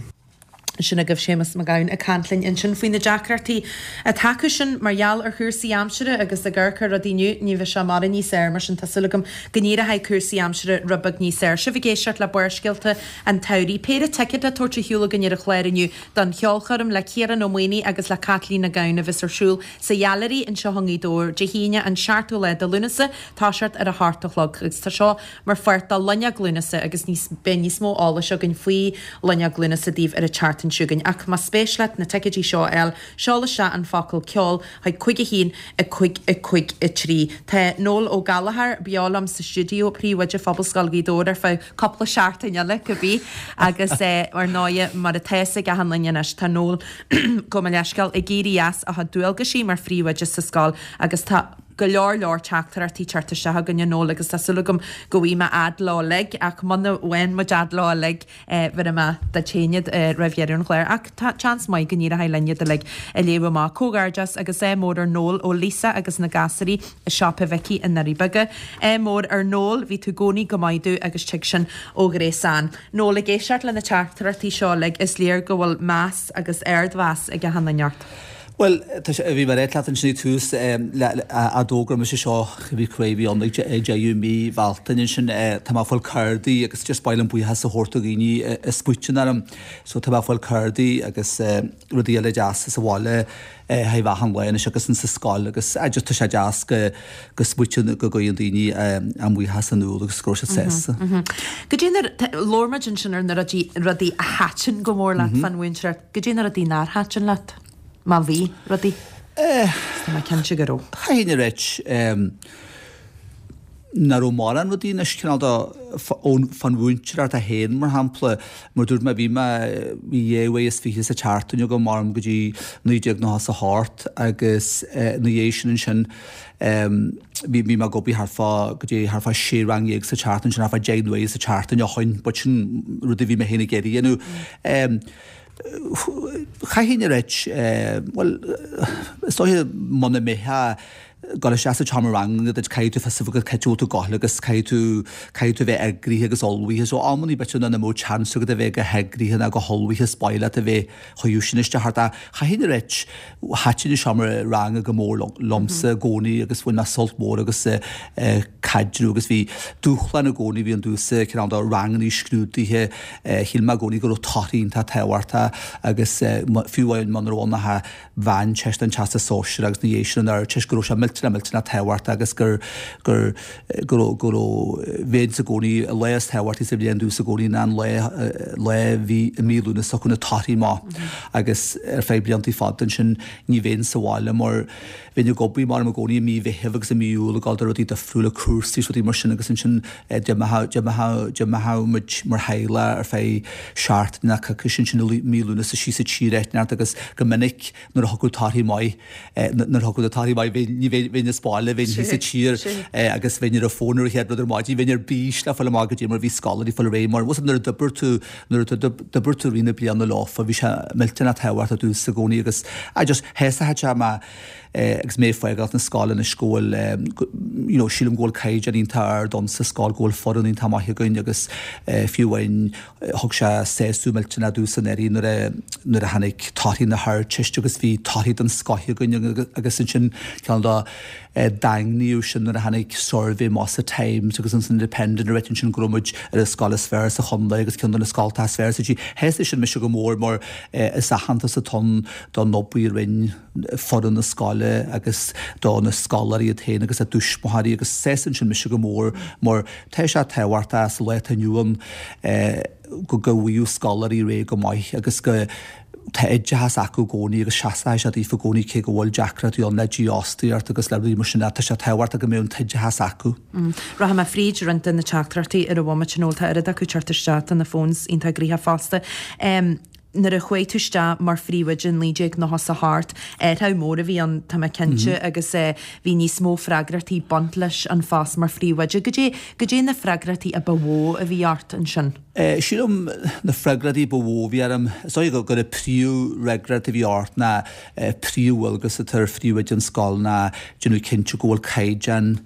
Sin agaibh Séamus Mac Gabhann ag caint linn ansin faoi na deacrachtaí atá acusan mar gheall ar chúrsaí aimsire agus ag amharc ar rudaí inniu, ní bheidh sé mórán níos fearr mar sin tá súil agam go n-éireoidh cúrsaí aimsire rud beag níos fearr. Sibh ag éisteacht le Barrscéalta an tSamhraidh. Péire ticéad le tabhairt ar shiúl againn ar an chlár inniu don cheolchoirm le Ciarán Ó Maonaigh agus le Caitlín Nic Gabhann a bheas ar siúl sa Ghailearaí anseo i nGaoth Dobhair Dé hAoine an 7ú lá de Lúnasa, toiseacht ar a hocht a chlog agus tá seo mar pháirt de Loinneog Lúnasa agus níos beidh níos mó eolais againn faoi Loinneog Lúnasa daoibh ar an tseachtain seo chugainn. Ach más spéis leat na ticéidí seo a fháil, seol isteach an focal 'ceol' chuig 5 1 5 5 3. Tá Noel Ó Gallchóir beo liom sa stiúideo, Príomhoide Phobalscoil Ghaoth Dobhair ar feadh cúpla seachtain eile, cibé. Agus ar ndóighe, mar atá fhios ag achan duine anois, tá Noel, gabh mo leithscéal, ag éirí as a chuid dualgaisí mar phríomhoide sa scoil agus tá go leor leor teachtaireachtaí teacht isteach againn a Noel agus tá súil agam go bhfaighidh mé fhad leo uilig ach muna bhfaigheann muid fhad leo uilig bhéarfaidh mé duit féin iad roimh dheireadh an chláir ach tá seans maith go n-éireoidh linn iad uilig a léamh amach. Comhghairdeas agus ádh mór ar Noel ó Lisa agus na gasúirí i Siopa Mhicí i nDoirí Beaga. Ádh mór ar Noel, bhí tú i gcónaí go maith domh agus tig sin ó Ghréasán. Noel, ag éisteacht le na teachtaireachtaí seo uilig is léir go bhfuil meas agus ardmheas ag achan duine ort. Bhuel, tá sé, bhí mé ag ráit leat ansin ag tús, a d'fhógair mise seo, bhí cibé bhí ann ag deireadh mí Bhealtaine ansin, tá mé ag fáil cárdaí agus just ba mhaith liom buíochas a thabhairt do dhaoine a smaoitíonn orm. So tá mé ag fáil cárdaí agus rudaí eile deasa sa bhaile thaobh achan lá anois agus insa scoil agus just tá sé deas go go smaoitíonn, go gcuireann daoine a mbuíochas in iúl agus go raibh siad sásta. Goidé na, labhair muid ansin ar na rudaí, rudaí a thaitin go mór leat fán mhúinteoireacht, goidé na rudaí nár thaitin leat? Má bhí rudaí. Tá mé cinnte go raibh. Chaithfinn a ráit nach raibh mórán rudaí anois cineál de fán mhúinteoireacht é féin mar shampla. Mar dúirt mé bhí mé, bhí dhá uair is fiche sa tseachtain agam orm go dtí 1998 agus ina dhiaidh sin ansin bhí bhí mé ag obair thart fá go dtí thart fá sé rang dhéag sa tseachtain sin thart fá deich n-uaire sa tseachtain ó shoin but sin rud a bhí mé féin ag iarraidh a dhéanamh. Chaithfinn a ráit, bhuel, is dóiche muna mbeifeá ag dul isteach sa tseomra ranga duit, caithfidh tú fios a bheith agat cá bhfuil tú ag gabháil agus caithfidh tú, caithfidh tú a bheith eagraithe agus ullmhaithe. So amannaí b'fhéidir nach mbeadh chance agat a bheith go heagraithe ná go hullmhaithe is ba mhaith leat a bheith chucu sin isteach ort. Ach chaithfinn a ráit, thaitin an seomra ranga go mór liomsa i gcónaí agus bhain mé sult mór agus caidreamh agus bhí dúshlán i gcónaí, bhí ann domhsa cineál de rangannaí scrúdaithe, Shíl mé i gcónaí go raibh torthaí iontach tábhachtach agus fiú amháin muna raibh ann ach an Mheánteist an Teastas Sóisearach agus ina dhiaidh sin an Ardteist go raibh sé millteanach millteanach tábhachtach agus gur gur go raibh go raibh bheinnse i gcónaí an lá is tábhachtaí sa bhliain domhsa i gcónaí ná an lá lá bhí i mí Lúnasa thiocfadh na torthaí amach agus ar feadh bliantaí fada ansin ní bheinn sa bhaile mar Bheinn ag obair mar i gcónaí i mí Mheithimh agus i mí Iúil ag dul do rudaí difriúla, cúrsaí is rudaí mar sin agus ansin d'imeodh muid mar theaghlach ar feadh seachtain nó coicís ansin i mí Lúnasa síos sa tír áit inteacht agus go minic nuair a thiocfadh torthaí maith, nuair a thiocfadh na torthaí maith ní bheinn. bheinn as baile, bheinn thíos sa tír agus bheinn ar an bhfón ar an chéad rud ar maidin, bheinn ar bís le fáil amach goidé mar bhí scoláirí ag fáil ar aghaidh mar bhfuil nuair a d'oibir tú, nuair a d'oibir tú i rith na bliana leofa, bhí sé millteanach tábhachtach domhsa i gcónaí agus I just, shásaigh sé mé agus mé ag fágáilt na scoile anois go bhfuil you know sílim go bhfuil caighdeán iontach ard ann sa scoil, go bhfuil foireann iontach maith againn agus fiú amháin Thug sé sásamh millteanach domhsa anuraidh nuair a nuair a tháinig torthaí na hArdteiste agus bhí torthaí den scoth againn agus ansin cineál de daingníodh sin nuair a tháinig suirbhé amach sa Times agus an Independent a rá ansin go raibh muid ar an scoil is fearr sa chontae agus ceann de na scoltacha is fearr sa tír. Shásaigh sin mise go mór mar is aitheantas atá ann don obair a rinne foireann na scoile agus do na scoláirí iad féin agus a dtuismitheoirí agus sásaíonn sin mise go mór mar Tá sé tábhachtach sa lá atá inniu ann go bhfaigheadh scoláirí ar aghaidh go maith agus go tá oideachas acu i gcónaí agus seasfaidh sé daofa i gcónaí cé go bhfuil deacrachtaí ann le dífhostaíocht agus le rudaí mar sin tá sé tábhachtach go mbeadh an t-oideachas acu. Rachaidh mé fríd roinnt de na teachtaireachtaí ar an bhomaite Noel, tá oiread acu teacht isteach, tá na phones iontach gnoitheach fosta. Nuair a chuaigh tú isteach mar phríomhoide in 1998, athrú mór a bhí ann, tá mé cinnte, agus bhí níos mó freagrachtaí ag baint leis an phost mar phríomhoide. Goidé, goidé na freagrachtaí a ba mhó a bhí ort ansin? Sílim na freagrachtaí ba mhó a bhí orm, is dóigh gur an príomhfhreagracht a bhí ort ná príomhdhualgas atá ar phríomhoide an scoil ná déanamh cinnte go bhfuil caighdeán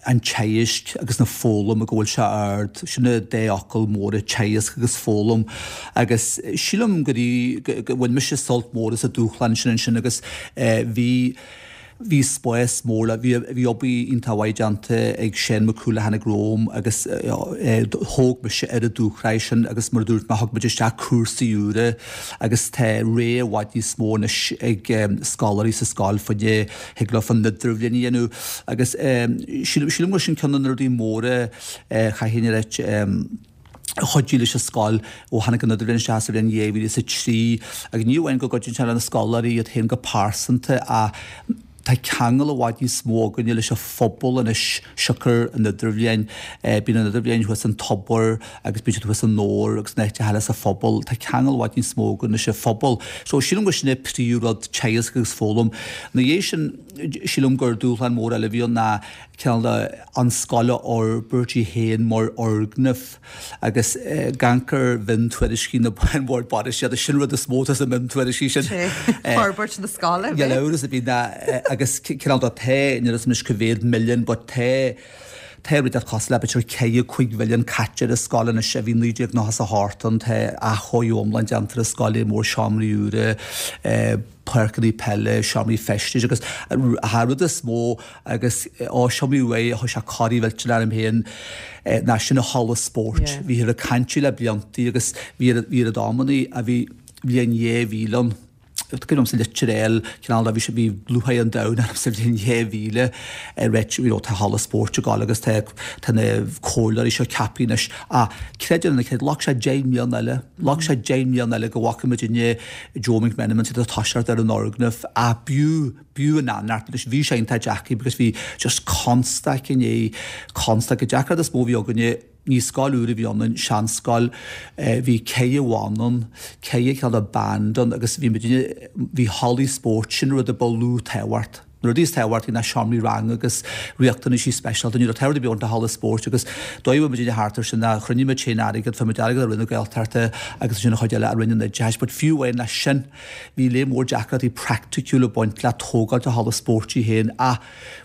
an teagaisc agus na foghlama go bhfuil sé ard, sin na dá fhocal móra, teagasc agus foghlaim. Agus sílim gur go bhain mise sult mór as an dúshlán sin ansin agus bhí bhí spás mór le, bhí bhí obair iontach mhaith déanta ag Seán Mac Cumhaill a tháinig romham agus thóg mise ar an dúshraith sin agus mar a dúirt mé thug muid isteach cúrsaí úra agus tá rogha i bhfad níos mó anois ag scoláirí sa scoil fá choinne thig leo an idirbhliain a dhéanamh agus sílim sílim gur sin ceann de na rudaí móra chaithfinn a ráit a chuidigh leis an scoil ó tháinig an idirbhliain isteach sa bhliain 2003 agus ní amháin go gcuidíonn sé le na scoláirí iad féin go pearsanta ach tá ceangal i bhfad níos mó againne leis an phobal anois siocair an idirbhliain. Bíonn an idirbhliain thuas an Tobar agus bíonn siad thuas i nDobhar agus in áiteacha eile sa phobal. Tá ceangal i bhfad níos mó againn leis an phobal. So sílim gur sin é príomhrud, teagasc agus foghlaim. Ina dhiaidh sin, sílim gur dúshlán mór eile a bhí ann ná cineál de an scoil a fhorbairt í féin mar fhoirgneamh agus ag amharc ar mhiontuairiscí na an Bhord Bainistíochta, sin rud is mó atá sa mhiontuairiscí sin. Forbairt na scoile. Níl amhras ar bith ná agus cineál de tá, níl a fhios agam anois cá mhéad milliún but tá, Tá rud cosúil le b'fhéidir 4, 5 mhilliún caite ar an scoil anois ó bhí 1998 ann. Tá athchóiriú iomlán déanta ar an scoil, lear mór seomraí úra, páirceanna peile, seomraí feistis agus an rud is mó agus ó seomraí uaidh a chuir sé corraí mhillteanach orm féin ná sin an halla spóirt. Bhíthear ag caint le bliantaí agus bhí ar bhí ar amannaí a bhí bhliain 2000 ann. Cuimhin liom sa litir L, cineál de, bhí sé, bhí lúcháir an domhain orm sa bhliain 2000 ag ráit, you know, tá halla spóirt ag gabháil agus tá, tá na comhairleoirí seo ceaptha anois. Ach, creid é nó ná creid, ghlac sé 10 mbliana eile, ghlac sé 10 mbliana eile go bhfaca muidinne Joe McMenamin ag toiseacht ar an fhoirgneamh ach b'fhiú, b'fhiú an fhanacht anois. Bhí sé iontach deacair because bhí just constaic i ndiaidh constaic. An deacracht is mó a bhí againne, Ní scoil úr a bhí ionainn, seanscoil. Bhí ceithre bhanna ann, ceithre chineál de band ann agus bhí muidinne, bhí hallaí spóirt, sin an rud a ba lú tábhacht. Na rudaí is tábhachtaí ná seomraí ranga agus riachtanaisí speisialta. Ní raibh tábhacht ar bith ann do halla spóirt agus dóigh a bhfuil muidinne thart air sin ná chruinnigh muid féin airgead, fuair muid airgead ó Roinn na Gaeltachta agus ansin an chuid eile ó Roinn an Oideachais. But fiú amháin leis sin, bhí lear mór deacrachtaí praiticiúla ag baint le tógáil an halla spóirt í féin ach,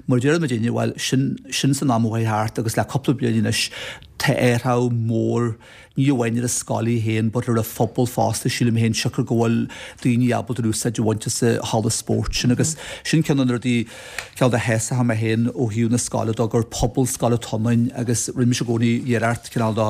Mar a deir muidinne, bhuel, sin, sin san am a chuaigh thart agus le cúpla bliain anois tá athrú mór, ní amháin ar an scoil í féin but ar an phobal fosta, sílim féin, siocair go bhfuil daoine ábalta úsáid a bhaint as an halla spóirt sin agus sin ceann de na rudaí, ceann de shásaithe mé féin ó thaobh na scoile de gur pobalscoil atá ionainn agus rinne mise i gcónaí iarracht cineál de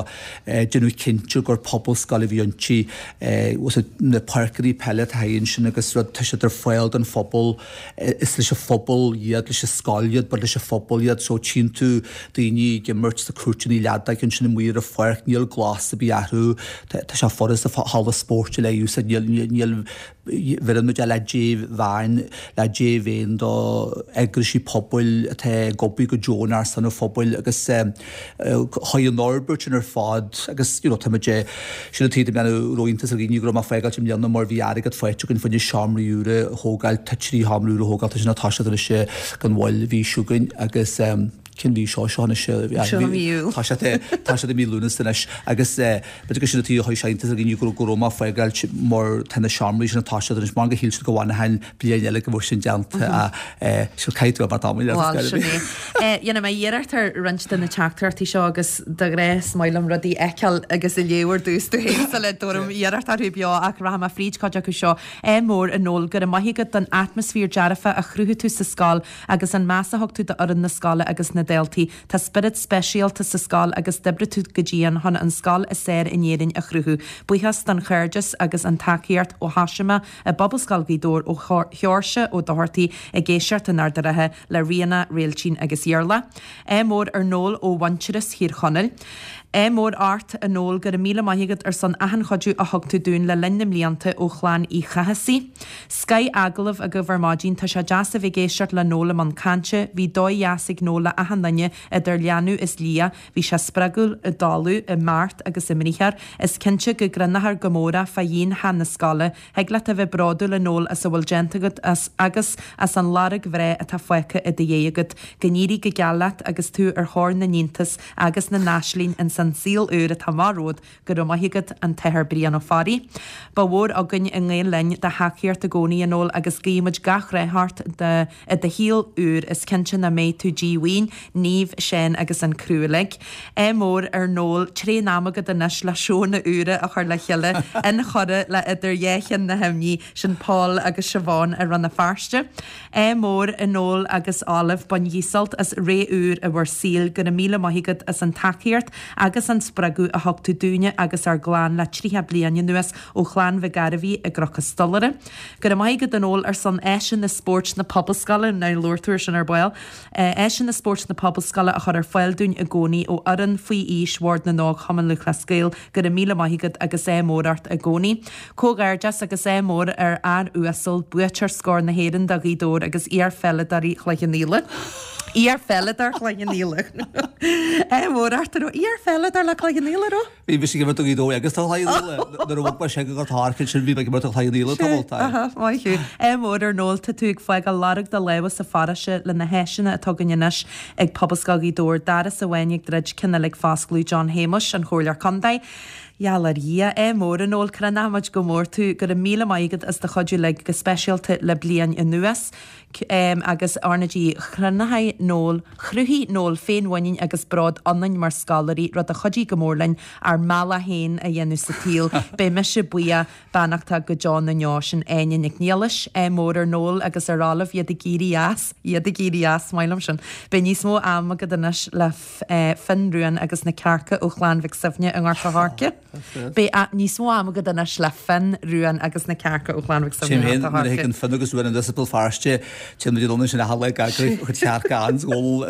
déanamh cinnte gur pobalscoil a bhí inti, na páirceanna peile atá ansin agus rud, tá siad ar fáil don phobal. Is leis an phobal iad, leis an scoil iad, but leis an phobal iad. So tchíonn tú daoine ag imirt sna cúirteanna leadóige ansin amuigh ar an pháirc, níl glas. ar bith a athrú. Tá sé furasta halla spóirt a úsáid, níl, níl, bheireann muid é le dea-mheon, le dea-mhéin do eagraisí pobail atá ag obair go deonach ar son an phobail agus chuaigh an fhorbairt sin ar fad agus you know tá muid sin an taobh a raibh iontas ar dhaoine go raibh mé ag fágáilt i mbliana mar bhí airgead faighte againn fá choinne seomraí úra a thógáil, tá 3 sheomra úr a thógáil, tá sin ag toiseacht anois gan mhoill mhí seo chugainn agus cén mhí seo seo anois Seo mí Iúil. Tá sé tá sé i mí Lúnasa anois agus b'fhéidir gur sin an taobh a chuir sé iontas ar dhaoine go go raibh mé ag fágáilt mar tá na seomraí sin ag toiseacht anois mar gur shíl siad go bhfanfainn bliain eile go mbeadh sin déanta ach caithfidh tú a bheith tamall Bhuel, sin é. Dhéanfaidh mé iarracht ar roinnt de na teachtaireachtaí seo agus de ghnáth is maith liom rudaí a fheiceáil agus a léamh ar dtús tú féin sula dtabharfainn iarracht orthu beo ach rachaidh mé fríd cuid acu seo. Ádh mór, a Noel, go raibh maith agat don atmaisféar dearfa a chruthaigh tú sa scoil agus an meas a thug tú d'fhoireann na scoile agus na daltaí. Tá spiorad speisialta sa scoil agus d'oibrigh tú go dian chun an scoil is fearr in Éirinn a chruthú. Buíochas don chairdeas agus an tacaíocht ó thosaigh mé i bPobalscoil Ghaoth Dobhair ó Sheoirse Ó Dochartaigh ag éisteacht in Ard an Rátha le Ríona, Réiltín agus Iarla. Ádh mór ar Noel ó Mhuintearas Thír Chonaill. Ádh mór ort, a Noel, go raibh míle maith agat ar son achan chuidiú a thug tú dúinn le linn na mblianta ó chlann Uí Chathasaigh. Scoth agallamh agaibh ar maidin, tá sé deas a bheith ag éisteacht le Noel i mbun cainte, bhí dóigh dheas ag Noel le achan duine, idir leanbh is liath, bhí sé spreagúil i dtalamh, i mbeart agus i mbriathar, is cinnte go gcruinneofar go mór é fá dhíon theach na scoile, Thig leat a bheith bródúil a Noel as a bhfuil déanta agat as agus as an lorg bhreá atá fágtha i do dhiaidh agat. Go n-éirí go geal leat agus tú ar thóir na n-iontas agus na n-aislinn ins an saol úr atá amach romhat. Go raibh maith agat, An tAthair Brian Ó Fearraigh. Ba mhór againn i nGael Linn do thacaíocht i gcónaí a Noel agus guímid gach rath ort do i do shaol úr, is cinnte nach mbeidh tú díomhaoin, Niamh, Seán agus an criú uilig. Ádh mór ar Noel, tréan ama agat anois le seónna úra a chur le chéile, inchurtha le Idir Dhá Cheann na hImní, sin Paul agus Siobhán i Rann na Feirste. Ádh mór a Noel agus Olive, bainigí sult as ré úr i bhur saoil, go raibh míle maith agat as an tacaíocht agus an spreagadh a thug tú dúinne agus ár gclann le 30 bliain anuas ó Chlann Mhic Gairbhí i gCnoc an Stolaire. Go raibh maith agat a Noel ar son áiseanna spóirt na Pobalscoile, now labhair tú ar sin ar ball, áiseanna spóirt na Pobalscoile a chur ar fáil dúinn i gcónaí ó fhoireann faoi aois Bhord na nÓg Chumann Lúthchleas Gael, go raibh míle maith agat agus ádh mór ort i gcónaí. Comhghairdeas agus ádh mór ar fhear uasal, buaiteoir Scór na hÉireann do Ghaoth Dobhair agus iar-pheileadóirí Chloich Cheann Fhaola. Iar-pheileadóir Chloich Cheann Fhaola. Ádh mór ort, a raibh iar-pheileadóir le Cloich Cheann Fhaola, a raibh? Bhí mise ag imirt do Ghaoth Dobhair agus do Chloich Cheann Fhaola. Nuair a bhog mé sé go Gort an Choirce ansin bhí mé ag imirt do Chloich Cheann Fhaola tamall. Sea, aha, maith thú. Ádh mór ar Noel, tá tú ag fágáil lorg do lámha sa pharóiste le na háiseanna atá againn anois ag Pobalscoil Ghaoth Dobhair, doras amháin ag druid, ceann eile ag foscladh, John Shéamuis, an Chomhairleoir Contae. Gheall ar Dhia, ádh mór a Noel, crothnaímid go mór tú, go raibh míle maith agat as do chuidiú uilig, go speisialta le bliain anuas. agus R na G. Chruthaigh Noel, Chruthaigh Noel féinmhuinín agus bród ionainn mar scoláirí, rud a chuidigh go mór linn ár mbealach féin a dhéanamh sa tsaol. Beidh mise buíoch, beannachtach go deo na ndeo. Sin Áine Nic Niallais. Ádh mór ar Noel agus ar Olive, iad ag éirí as, iad ag éirí as, maith liom sin. Beidh níos mó ama agat anois le Finn, Ruan agus na cearca ó Chlann Mhic Suibhne i nGort an Choirce. Beidh níos mó ama agat anois le Finn, Ruan agus na cearca ó Chlann Mhic Suibhne i nGort an Choirce. Téim féin nuair a thagann Finn agus Ruan anuas as Béal Feirste, téann muid anonn ansin achan lá ag eagrú chuid chearca ann 's ól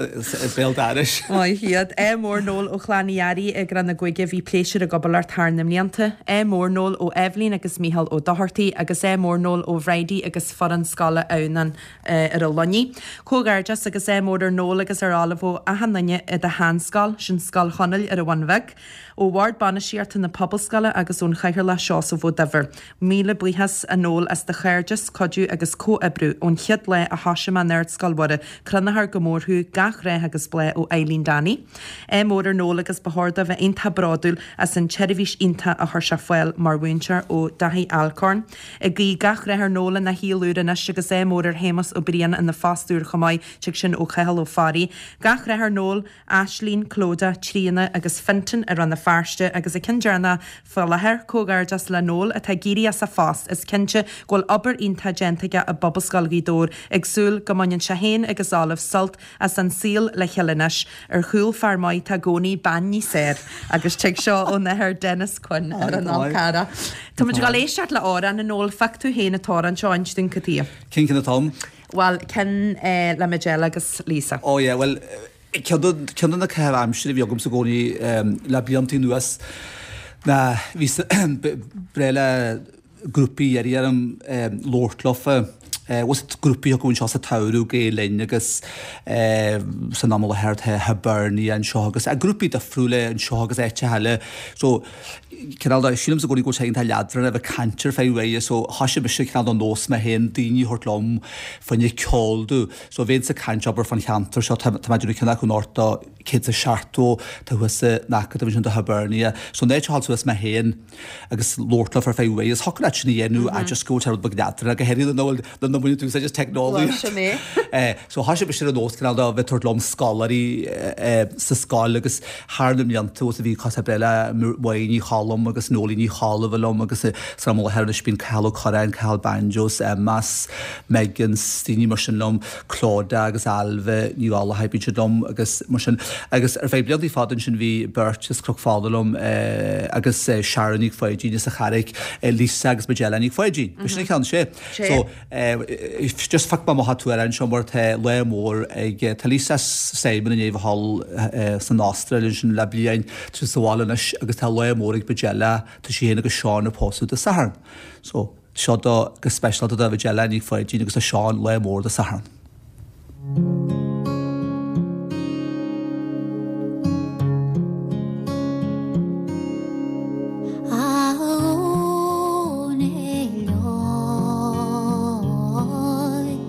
béal dorais. Maith iad. Ádh mór Noel ó Chlann Uí Fhearraigh i gCrann na Gúige, bhí pléisiúr ag obair leat thar na mblianta. Ádh mór Noel ó Eibhlín agus Mícheál Ó Dochartaigh agus ádh mór Noel ó Bhridie agus foireann scoile Adhamhnáin ar an Luinnigh. Comhghairdeas agus ádh mór ar Noel agus ar Olive ó achan duine i do sheanscoil, sin Scoil Chonaill ar an Bhun Bheag. Ó Bhord Bainistíochta na Pobalscoile agus ón Chathaoirleach Seosamh Ó Duibhir, míle buíochas a Noel as do chairdeas, cuidiú agus comhoibriú ón chéad lá a thosaigh mé in Ardscoil Mhuire. Crothnaítear go mór thú, gach rath agus bláth ó Eileen Danny. Ádh mór ar Noel agus ba chóir dó bheith iontach bródúil as an tseirbhís iontach a chuir sé fáil mar mhúinteoir ó Daithí Alcorn. Ag guí gach rath ar Noel ina shaol úr anois agus ádh mór ar Shéamus Ó Briain ina phost úr chomh maith, tig sin ó Chathal Ó Fearraigh. Gach rath ar Noel. Aislínn, Clodagh, Tríona agus Fintan i Rann na Feirste agus an ceann deireanach faoi láthair, comhghairdeas le Noel atá ag éirí as a phost, is cinnte go bhfuil obair iontach déanta aige i bPobalscoil Ghaoth Dobhair, ag súil go mbaineann sé féin agus Olive sult as an saol le chéile anois, ar chúl fear maith tá i gcónaí bean níos fearr agus tig seo ón Athair Denis Quinn ar an Fhál Carrach. Tá muid ag dul éisteacht le amhrán a Noel, phioc tú féin an t-amhrán seo, inis dúinn cad chuige. Cén ceann atá ann? Bhuel, ceann le Majella agus Lisa. Oh yeah, bhuel, ceann de na caithimh aimsire a bhí agamsa i gcónaí le blianta anuas. Ná bhí breá le grúpaí iarraidh orm labhairt leofa. Bhfuil grúpaí acu anseo sa tsamhradh, Gael Linn agus san am i láthair tá Hibernia anseo agus grúpaí difriúla anseo agus áiteacha eile. So cineál de, sílimse i gcónaí go bhfuil sé iontach leadránach a bheith ag caint ar feadh uaire so thoisigh mise cineál de nós mé féin daoine a thabhairt liom fá choinne ceol domh. So bheinnse ag caint abair fán cheantar seo, tá mé ag déanamh ceann acu anocht do 170, tá thuas san Acadamh ansin do Hibernia. So in áit a ghabháil suas mé féin, agus labhairt leofa ar feadh uaire. Is thiocfadh leat sin a dhéanamh ach just go bhfuil sé rud beag leadránach, go háirithe nuair nach mbaineann tú úsáid as teicneolaíocht. Sin é. So thoisigh mise ar an nós cineál de bheith ag tabhairt liom scoláirí sa scoil agus thar na mblianta bhí cos breá le Máire Ní Cholm agus Noeleen Ní Cholbha liom agus san am i láthair anois bíonn Cathal Ó Curráin, Cathal Banjos, Emmas, Megan, daoine mar sin liom. Clodagh agus Ailbhe Ní Ghallchóir, bíonn siad liom agus mar sin. Agus ar feadh blianta fada ansin bhí beirt as Cnoc Fola liom agus Sharon Nic Pháidín as an Charraic, Lisa agus Majella Nic Pháidín. B'shin an ceann, sé. So just phioc mé amach an t-amhrán seo mar tá lá mór ag, tá Lisa Simon i ndiaidh a bheith thall san Astráil ansin le bliain, tá sí sa bhaile anois agus tá lá mór ag Majella, tá sí féin agus Seán ag pósadh Dé Sathairn. So. Seo do go speisialta do Mhajella Ní Pháidín agus do Seán lá mór Dé Sathairn. A Dhónaill óig,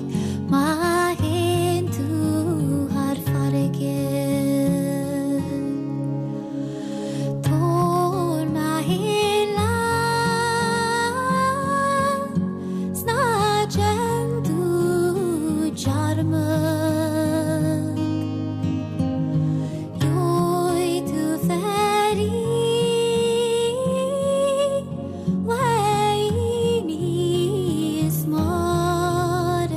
má théann tú thar farraige. Tabhair mé féin leat 's ná déan tú dearmad. Gheobhaidh tú fear í uaidh níos margaí.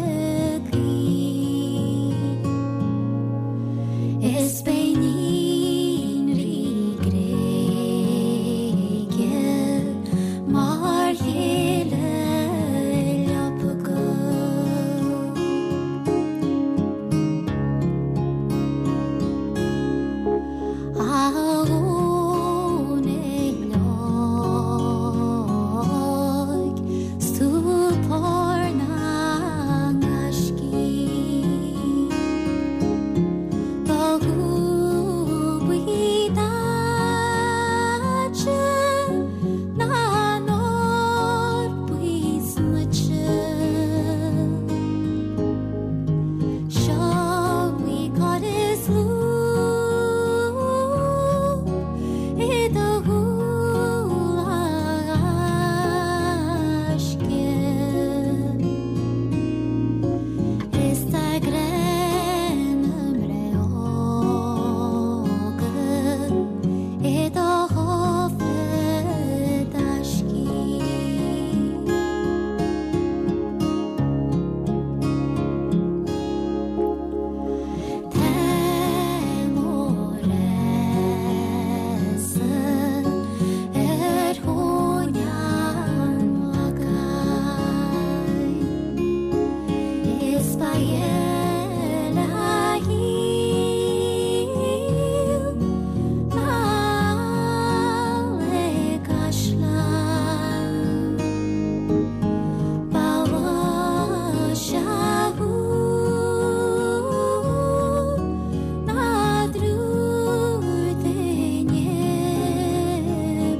Is beidh níon Rí Gréige mar chéile leapa agat. A Dhónaill óig, 's tú pár na ngaiscí. Do shúil buí daite ná an ór buí snoite. Seo í cor is lúb i do shúil a ghaisce. Is tá grá na mbreoga i do chófra taiscí. Tá mo rá-sa ar thóin an Lagáin. Is ba ghile a shíl ná le caisleán. Ba mhaise thú ná triúr duine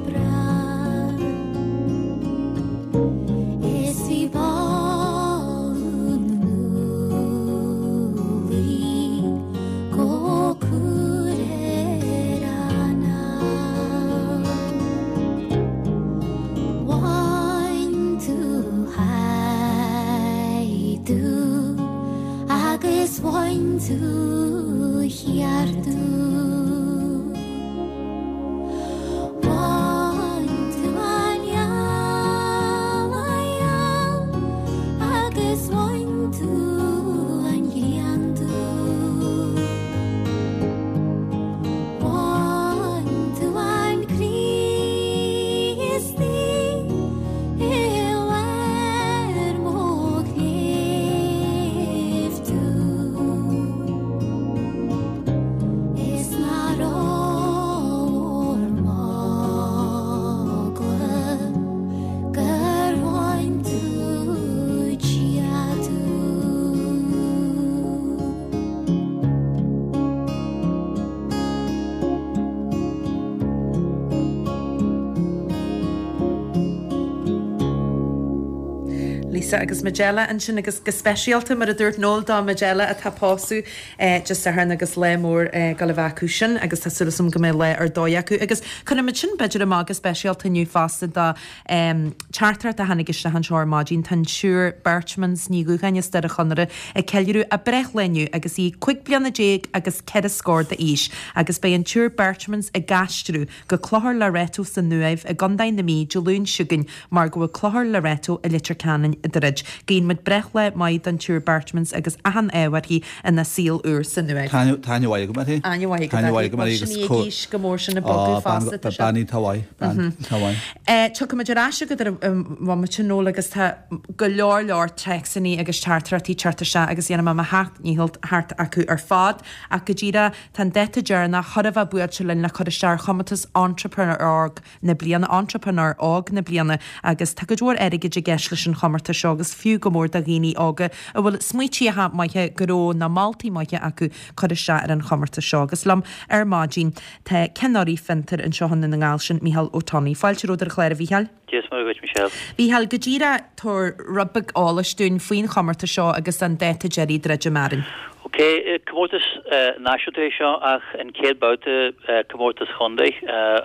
breá. Is bhí boladh na n-úllaí go cur ar anáil. Bhain tú haidú agus bhain tú cheartú. Bhain tú an eala gheal agus bhain tú an ghrian dubh. Bhain tú an Críostaí i lár mo chléibh dubh. Is nár Lisa agus Majella ansin agus go speisialta, mar a dúirt Noel, do Majella atá ag pósadh Dé Sathairn agus lá mór ag gabháil a bheith acu sin agus tá súil agam go mbeidh lá ar dóigh acu. Agus cuirfimid sin b'fhéidir amach go speisialta inniu fosta do teachtaireacht a tháinig isteach anseo ar maidin. Tá an tSiúr Berchmans Ní Dhúcháin as Doire Chonaire ag ceiliúradh a breithlá inniu agus í 15 bliana agus ceithre scór d'aois agus beidh an tSiúr Berchmans ag aistriú go Clochar Loreto san Uaimh i gContae na Mí Dé Luain seo chugainn mar go bhfuil Clochar Loreto i Leitir Ceanainn ag druid. Guíonn muid breithlá maith don tSiúr Berchmans agus achan ádh uirthi ina saol úr san Uaimh. Tá aithne mhaith agam uirthi. Aithne mhaith agat uirthi. Bhuel sin í ag aois go mór sin ag bogadh fosta. Tá bean iontach mhaith. Bean iontach mhaith. Tiocfaimid ar ais chugat ar an bhomaite Noel agus tá go leor leor téacsanna agus teachtaireachtaí ag teacht isteach agus dhéanfaidh mé mo sheacht ndícheall theacht acu ar fad ach go díreach Tá an dáta deireanach chóir a bheith buailte linn le cur isteach ar chomórtas Entrepreneur Óg na Bliana, Entrepreneur Óg na Bliana, agus tá cuid mhór airgid i gceist leis an chomórtas seo agus fiú go mór do dhaoine óga a bhfuil smaoitíocha maithe gnó nó moltaí maithe acu cur isteach ar an chomórtas seo. Agus liom ar maidin tá Ceann Urraí Fiontar anseo i nDún na nGall, sin Mícheál Ó Tonnaigh. Fáilte romhat ar an chlár a Mhícheáil. Dia is Muire dhuit, Michelle. Mhícheáil, go díreach, tabhair rud beag eolais dúinn faoin chomórtas seo agus an dáta deiridh druidim orainn. Ok, comórtas náisiúnta é seo ach an chéad babhta comórtas chontae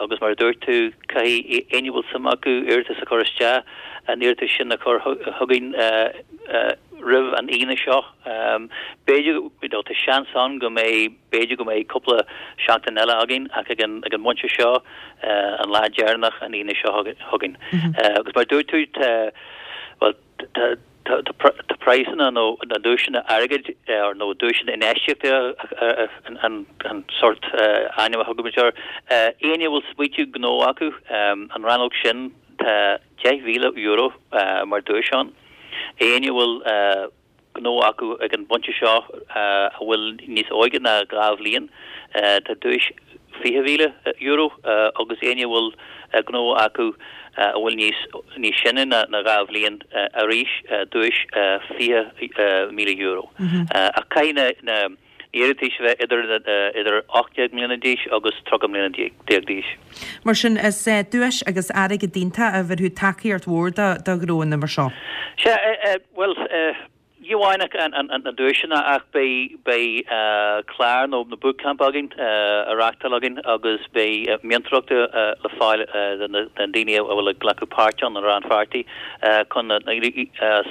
agus mar a dúirt tú, caithfidh éinne a bhfuil suim acu iarratas a chur isteach, an iarratas sin a chur chugainn roimh an Aoine seo. B'fhéidir, you know, tá seans ann go mbeidh B'fhéidir go mbeidh cúpla seachtain eile againn ach ag an ag an bpointe seo, an lá deireanach an Aoine seo chugainn. Agus mar a dúirt tú, tá, bhuel, tá tá tá praghsanna nó na duaiseanna airgid nó duaiseanna infheistíochta an an sórt ainm a thugaimid air. Éinne a bhfuil smaoitiú gnó acu, an rannóg sin, tá €10,000 mar duais ann. Éinne a bhfuil gnó acu ag an bpointe seo a bhfuil níos óige ná 2 bhliain. Tá duais €20,000 agus éinne a bhfuil gnó acu a bhfuil níos níos sine ná 2 bhliain arís duais €20,000. Ach caithfidh na iarratais a bheith idir idir 18 mbliana d'aois agus 30 mbliana d'aois. Mar sin, is duais agus airgead iontach a bhéarfadh tacaíocht mhór do ghnóanna mar seo. Sea, bhuel, ní amháin na duaiseanna ach beidh beidh clár nó na bootcamp againn á reáchtáil againn agus beidh meantóireacht le fáil do na daoine a bhfuil ag glacadh páirt ann, na rannpháirtithe, chun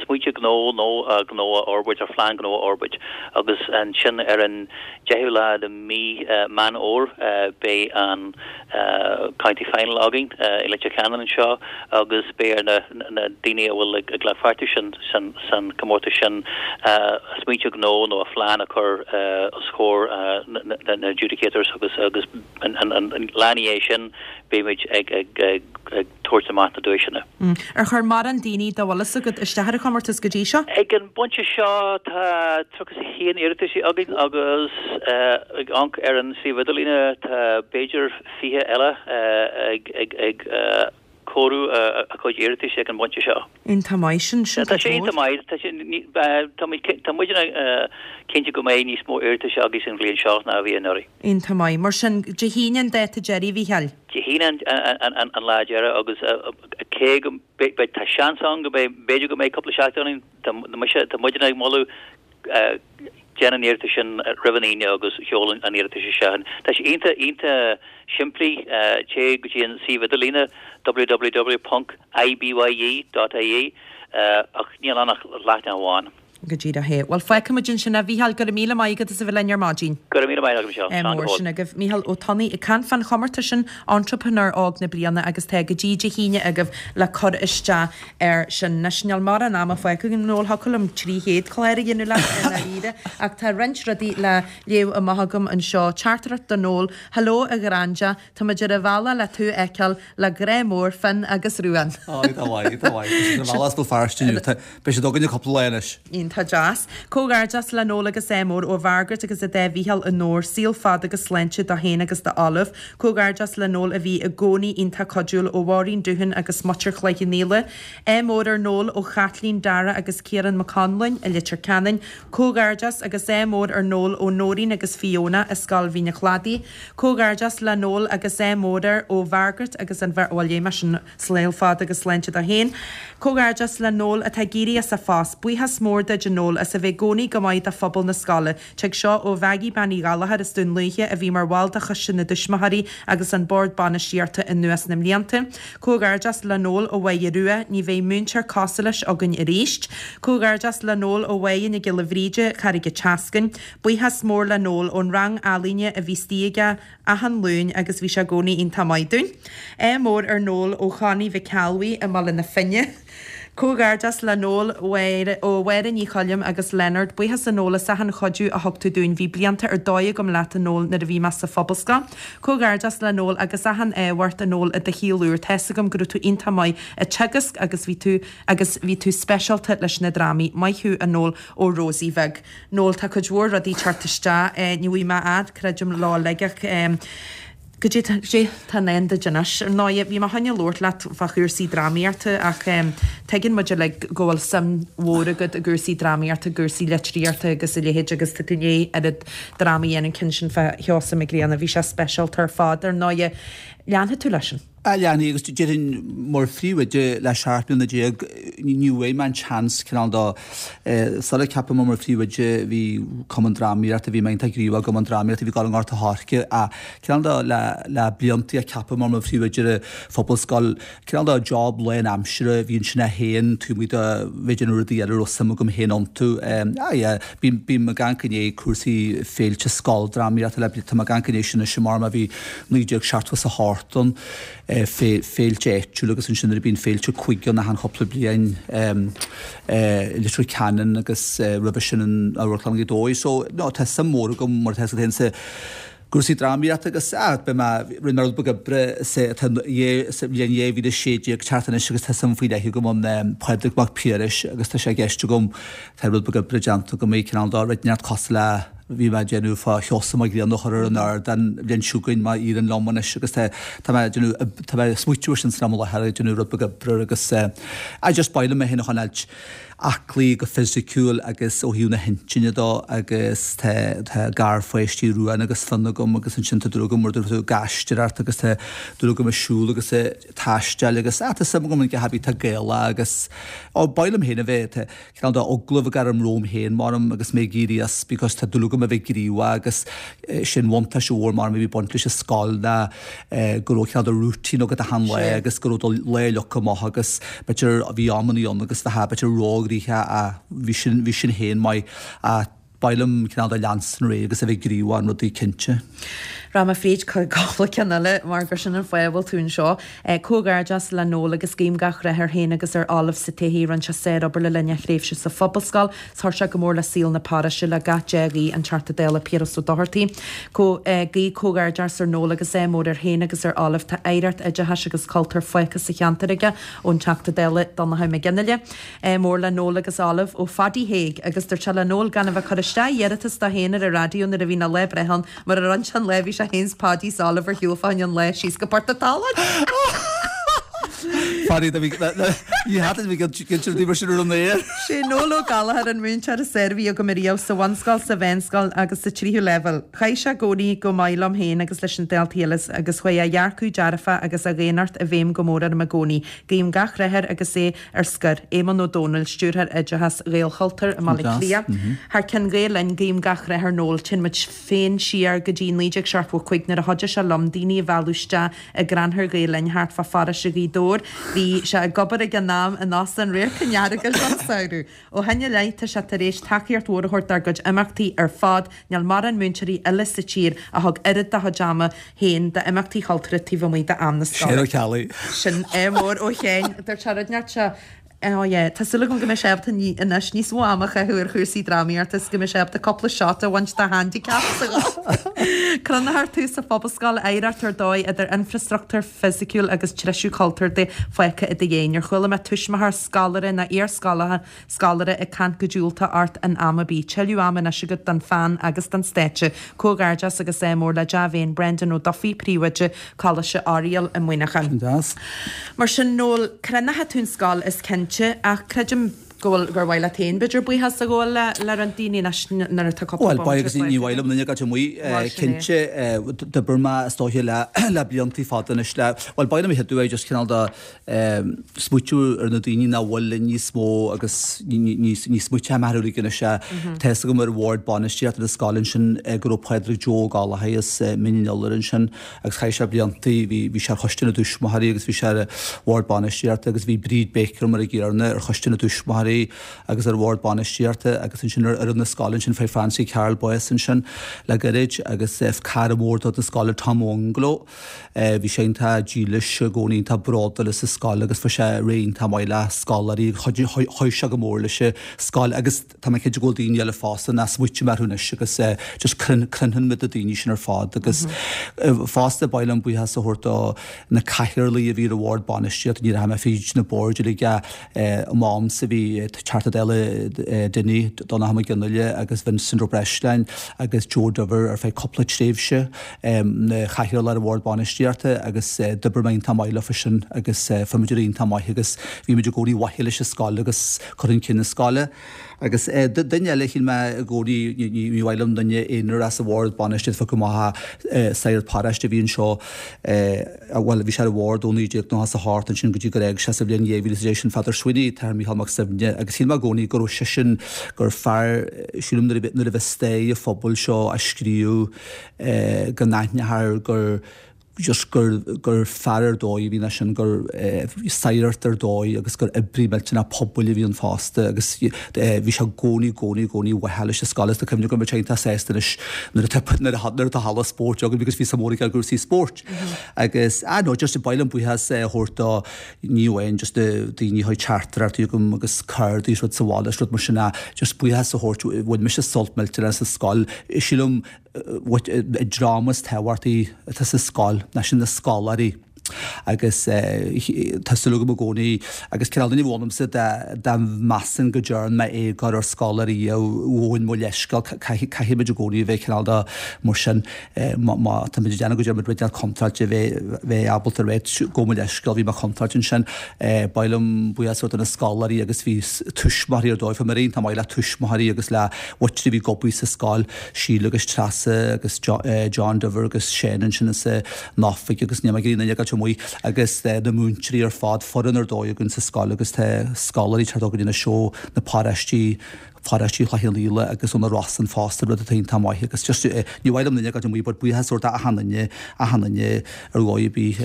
smaointe gnó nó gnó a fhorbairt, ar phlean gnó a fhorbairt. Agus ansin ar an 10ú lá de mhí Meán Fhómhair beidh an County Final againn i Leitir Ceanainn anseo agus beidh ar na daoine a bhfuil ag glacadh páirte san comórtas sin a smaointe gnó nó a phlean a chur os comhair na adjudicators agus agus an lá ina dhiaidh sin beimid ag tabhairt amach na duaiseanna. Ar chuir mórán daoine, dá bhfuil fhios agat, isteach ar an chomórtas go dtí seo? Ag an bpointe seo tá 31 iarratas againn agus ag amharc ar an suíomh idirlíne tá b'fhéidir 20 eile ag cóiriú a chuid iarratais ag an bpointe seo. Iontach maith sin, sin Tá sé iontach maith. Tá sé, tá muid, tá muidne cinnte go mbeidh níos mó iarratais againn an bhliain seo ná a bhí anuraidh. Iontach maith. Mar sin, Dé hAoine an dáta deiridh, a Mhícheáil? Dé hAoine an lá deiridh agus cé go mbeidh, tá seans ann go mbeidh, b'fhéidir go mbeidh cúpla seachtain ann, tá mise, tá muidne ag moladh déan an iarratas sin roimh an Aoine agus sheol an iarratas isteach. Tá sé iontach, iontach simplí, téigh go dtí an suíomh idirlíne www.ibye.ie ach níl ann ach leathanach amháin. Go díreach é. Bhuel, fágfaimid ansin é. A Mhícheáil, go raibh míle maith agat as a bheith linn ar maidin. Go raibh míle maith agat, Michelle. Slán go fóill. Sin agaibh Mícheál Ó Tonnaigh ag caint fán chomórtas sin, Entrepreneur Óg na Bliana agus tá go dtí Dé hAoine agaibh le cur isteach air sin. Anois, níl mórán ama fágtha againn, Noel, thiocfadh liom 300 clár a dhéanamh leat i ndáiríre, ach tá roinnt rudaí le léamh amach agam anseo. Teachtaireacht do Noel, Hello a Ghraindea, táimid ar an bhealach le tú a fheiceáil, le grá mór, Finn agus Ruán. Á, tá mhaith, tá mhaith. Tá siad ar an bhealach as Béal Feirste inniu. Beidh siad againne cúpla lá anois. Iontach. iontach deas. Comhghairdeas le Noel agus ádh mór ó Mhargaret agus a dá Mhícheál i nDobhar. Saol fada agus sláinte dó féin agus d'Olive. Comhghairdeas le Noel a bhí i gcónaí iontach cuidiúil ó Mháirín Doohan agus Muintir Chloich Cheann Fhaola. Ádh mór ar Noel ó Chaitlín, Dara agus Ciarán Mac Conluain i Leitir Ceanainn. Comhghairdeas agus ádh mór ar Noel ó Nóirín agus Fiona i Scoil Mhín a' Chladaigh. Comhghairdeas le Noel agus ádh mór air ó Mhargaret agus an bheirt bhuel léigh mé sin Saol fada agus sláinte dó féin. Comhghairdeas le Noel atá ag éirí as a phost. Buíochas mór duid a Noel as a bheith i gcónaí go maith do phobal na scoile. Tig seo ó Mhaggie Bean Uí Ghallchóir as Dún Lúiche a bhí mar bhall de Choiste na dTuismitheoirí agus an Bord Bainistíochta anuas na mblianta. Comhghairdeas le Noel ó Mháire Rua, ní bheidh múinteoir cosúil leis againn arís. Comhghairdeas le Noel ó Mháire Nic Giolla Bhríde, Carraig a' tSeascainn. Buíochas mór le Noel ón rang ealaíne a bhí istigh aige achan Luain agus bhí sé i gcónaí iontach maith dúinn. Ádh mór ar Noel ó Chonnie Mhic Ceallbhuí i mBaile na Finne. Comhghairdeas le Noel ó Mháire Ní Choilm agus Leonard. Buíochas a Noel as achan chuidiú a thug tú dúinn. Bhí blianta ar dóigh agam leat a Noel nuair a bhí mé sa Phobalscoil. Comhghairdeas le Noel agus achan ádh ort a Noel i do shaol úr. Tá's agam go raibh tú iontach maith ag teagasc agus bhí tú agus bhí tú speisialta leis na drámaí. Maith thú a Noel ó Rosie Bheag. Noel, tá cuid mhór rudaí ag teacht isteach. Ní bhfaighidh mé fhad, creidim, leo uilig ach goidé tá, goidé tá i ndán duit anois. Ar ndóighe, bhí mé chun a labhairt leat fá chúrsaí drámaíochta ach tuigeann muid uilig go bhfuil suim mhór agat i gcúrsaí drámaíochta, i gcúrsaí litríochta agus a leithéid agus tá tú i ndiaidh oiread dráma a dhéanamh, an ceann sin fá Sheosamh Mac Grianna, bhí sé speisialta ar fad. Ar ndóighe, leanfaidh tú leis sin. Ah leanfaidh agus déarfainn mar phríomhoide le 17 mbliana ní bhfuair mé an chance cineál de sular ceapadh mé mar phríomhoide bhí cumann drámaíochta bhí mé iontach gníomhach i gcumann drámaíochta bhí ag dul i nGort a' Choirce ach cineál de le le blianta a ceapadh mé mar phríomhoide ar an phobalscoil cineál de job lán aimsire bhí ansin é féin taobh amuigh de bheith ag déanamh rudaí eile a raibh suim agam féin iontu ah yeah bím bím ag amharc i ndiaidh cúrsaí féilte scoildrámaíochta le tá mé ag amharc i ndiaidh sin anois mar bhí 1978 ann, féilte áitiúla agus ansin nuair a bíonn féilte cúige ann achan chúpla bliain i Leitir Ceanainn agus roimhe sin in Amharclann Ghaoth Dobhair. So, no, tá suim mhór agam mar atá a fhios agat féin sa gcúrsaí drámaíochta agus ah, beidh mé, rinne mé rud beag oibre sa, tá sa bhliain 2016 ag teacht anois agus tá suim faoi leith agam in Pádraig Mac Piarais agus tá sé i gceist agam, tá rud beag oibre déanta agam i cineál de rud inteacht cosúil le bhí mé ag déanamh fá Sheosamh Mac Grianna a chur ar an ardán an bhliain seo chugainn má éiríonn liom anois agus tá tá mé ag déanamh tá mé ag smaoitiú ar sin san am i láthair ag déanamh rud beag oibre agus I just b'áil liom mé féin a choinneáilt aclaí go fisiciúil agus ó thaobh na hintinne dó agus tá tá garpháistí Ruán agus Fionn agam agus ansin tá dúil agam mar dúirt tú ag aisteoireacht agus tá dúil agam ag siúl agus ag taisteal agus ah tá suim agam in gach ar bith atá Gaelach agus ó b'áil liom féin a bheith tá cineál de agallamh ag gairm romham féin maram agus mé ag éirí as because tá dúil agam a bheith gníomhach agus sin buntáiste mhór maram a bhí ag baint leis an scoil ná go raibh cineál de routine agat achan lá agus go raibh do lá leagtha amach agus b'fhéidir bhí amannaí ann agus bheifeá b'fhéidir róghnoitheach ach bhí sin bhí sin féin maith ach B'áil liom cineál de leanstan ar aghaidh agus a bheith gníomhach in rudaí cinnte. Rachaidh mé fríd cúpla ceann eile mar gur sin an fáth a bhfuil tú anseo. Comhghairdeas le Noel agus guím gach rath air féin agus ar Olive sa todhchaí. Rinne sé sárobair le linn a thréimhse sa Phobalscoil 's chuir sé go mór le saol na paróiste le gach dea-ghuí an Teachta Dála Piaras Ó Dochartaigh. Guí comhghairdeas ar Noel agus ádh mór air féin agus ar Olive. Tá oidhreacht oideachais agus cultúir fágtha sa cheantar aige ón Teachta Dála Donnchadh Mac Fhionnghaile. Ádh mór le Noel agus Olive ó Phaddy Thaidhg agus dúirt sé le Noel gan a bheith ag cur isteach iarratas dó féin ar an raidió nuair a bhíonn a lá breithe ann mar a rinne sé an lá a bhí sé féin 's Paddy 's Olive ar shiúl fá choinne an lae síos go Port a' tSalainn. Paddy do bhí ní hata bhí cinnte rudaí mar sin ar an aer. Sé Noel Ó Gallchóir an múinteoir is fearr a bhí agam ariamh sa bhunscoil, sa mheánscoil agus sa tríú leibhéal. Chaith sé i gcónaí go maith liom féin agus leis na daltaí eile agus chuaigh a dhearcadh dearfach agus a dhaonnacht i bhfeidhm go mór orm i gcónaí. Guím gach rath air agus é ar scor, Éamonn Ó Dónaill, Stiúrthóir Oideachais Ghaelchultúir i mBaile Átha Cliath. Thar ceann Gael Linn, guím gach rath ar Noel. Téann muid féin siar go dtí 1975 nuair a chuidigh sé liom daoine a mhealladh isteach i gcrannchur Ghael Linn thart fá pharóiste Ghaoth Dobhair. Bhí sé ag obair ag an am in Óstán Radharc an Earagail don samhradh. Ó shin i leith tá sé tar éis tacaíocht mhór a thabhairt dár gcuid imeachtaí ar fad. Níl mórán múinteoirí eile sa tír a thug oiread dá chuid ama féin d'imeachtaí chultúrtha taobh amuigh d'am na scoile. Séan Ó Ceallaigh. Sin ádh mór ó Shéain. Dúirt sé rud inteacht sé. Oh yeah, tá súil agam go mbeidh sé ábalta anois níos mó ama a chaitheamh ar chúrsaí drámaíochta is go mbeidh sé ábalta cúpla shot a bhaint de handicap sa gholf. Cronófar tú sa Phobalscoil, oidhreacht ar dóigh idir infreastruchtúr fisiciúil agus treisiú cultúrtha fágtha i do dhiaidh. Níor chuala mé tuismitheoir, scoláire ná iar-scoláire scoláire ag caint go diúltach ort in am ar bith. Tuilleadh ama anois agat don pheann agus don stáitse. Comhghairdeas agus ádh mór le dea-mhéin Brendan Ó Dufaigh, Príomhoide, Coláiste Oiriall i Muineachán. Sin deas. Mar sin, Noel, cronóidh tú an scoil is cinnte, ach creidim go bhfuil, gur mhaith leat féin, b'fhéidir, buíochas a ghabháil le, le roinnt daoine anois nuair atá cúpla Bhuel, bomaite agus ní mhaith liom duine a ghabháil amuigh, cinnte, d'oibir mé is dóiche le, le bliantaí fada anois le, bhuel, ba mhaith liom a cheadú é just cineál de, smaoitiú ar na daoine nach bhfuil linn níos mó agus ní smaoiteoidh mé orthu uilig anois. Tá fhios agam ar bhord bainistíochta na scoile ansin go raibh Pádraig Joe Ó Gallchóir as Mín an Iolair ansin agus chaith sé blianta, bhí sé ar choiste na dtuismitheoirí agus bhí sé ar bhord bainistíochta agus bhí Bríd Baker mar an gcéanna ar choiste na dtuismitheoirí agus ar bhord bainistíochta agus ansin ar fhoireann na scoile ansin fuair Francie Carroll bás ansin le gairid agus cara mór de chuid na scoile Tom Ó Fhionnghaile. Bhí sé iontach dílis i gcónaí, iontach bródúil as an scoil agus fuair sé ar aghaidh iontach maith le scoláirí agus chuir sé go mór leis an scoil agus tá mé cinnte go bhfuil daoine eile fosta nach smaoiním orthu anois agus just cluinfidh muid na daoine sin ar fad agus fosta ba mhaith liom buíochas a thabhairt do na cathaoirligh a bhí ar an bhord bainistíochta, ní rachaidh mé fríd na boird uilig ach I m'amsa bhí Teachta Dála Dinny, Donnchadh Mac Fhionnghaile agus Vincent Ó Breisleáin agus Joe Diver ar feadh cúpla tréimhse ina chathaoirleach ar an bhord bainistíochta agus d'oibir mé iontach maith leofa sin agus fuair muid ar aghaidh iontach maith agus bhí muid i gcónaí ar mhaithe leis an scoil agus cur chun cinn na scoile. Agus duine eile a shíl mé i gcónaí, ní mhaith liom duine aonair as an bhord bainistíochta a phiocadh amach ach sagart paróiste a bhí anseo, bhuel, bhí sé ar an bhord ó 1998 ansin go dtí gur éag sé sa bhliain 2010, sin Peadar Sweeney, Athair Mícheál Mac Suibhne, agus shíl mé i gcónaí go raibh seisean, gur fear, sílim nuair a bhí stair an phobail seo á scríobh go n-aithneofar gur, just gur, gur fear ar dóigh a bhí ann sin, gur sagart ar dóigh agus gur oibrí millteanach pobail a bhí ann fosta agus bhí sé i gcónaí, gcónaí, gcónaí ar mhaithe leis an scoil agus tá cuimhne agam bhí sé iontach sásta anois nuair atá, nuair atá, nuair atá halla spóirt againn because bhí suim mhór aige i gcúrsaí spóirt. Agus, ah no, just ba mhaith liom buíochas a thabhairt do ní amháin just na daoine a chuir teachtaireachtaí chugam agus cártaí is rud sa bhaile is rud mar sin ach just buíochas a thabhairt, bhain mise sult millteanach as an scoil, sílim, an dream is tábhachtaí atá sa scoil ná sin na scoláirí agus tá súil agam i gcónaí agus cineál duine a bhí ionamsa dá measainn go dtearn mé éagóir ar scoláirí ghabhfainn mo leithscéal caithfidh muid i gcónaí a bheith cineál de mar sin má tá muid ag déanamh go dtearn muid rud éigin contráilte bheith bheith ábalta rá gabh mo leithscéal bhí mé contráilte ansin ba mhaith liom buíochas a thabhairt do na scoláirí agus bhí tuismitheoirí ar dóigh bhí mé iontach maith le tuismitheoirí agus le muintir a bhí ag obair sa scoil Síle agus Treasa agus John Diver agus Seán ansin as an oifig agus níl mé ag iarraidh aon duine a fhágáilt amuigh agus na múinteoirí ar fad, foireann ar dóigh againn sa scoil agus tá scoláirí ag teacht chugainn anois ó na paróistí, paróistí Chloich Cheann Fhaola agus ó na Rosann fosta, rud atá iontach maith agus just ní mhaith liom duine a fhágáilt amuigh but buíochas a thabhairt d'achan duine, achan duine ar dhóigh ar bith.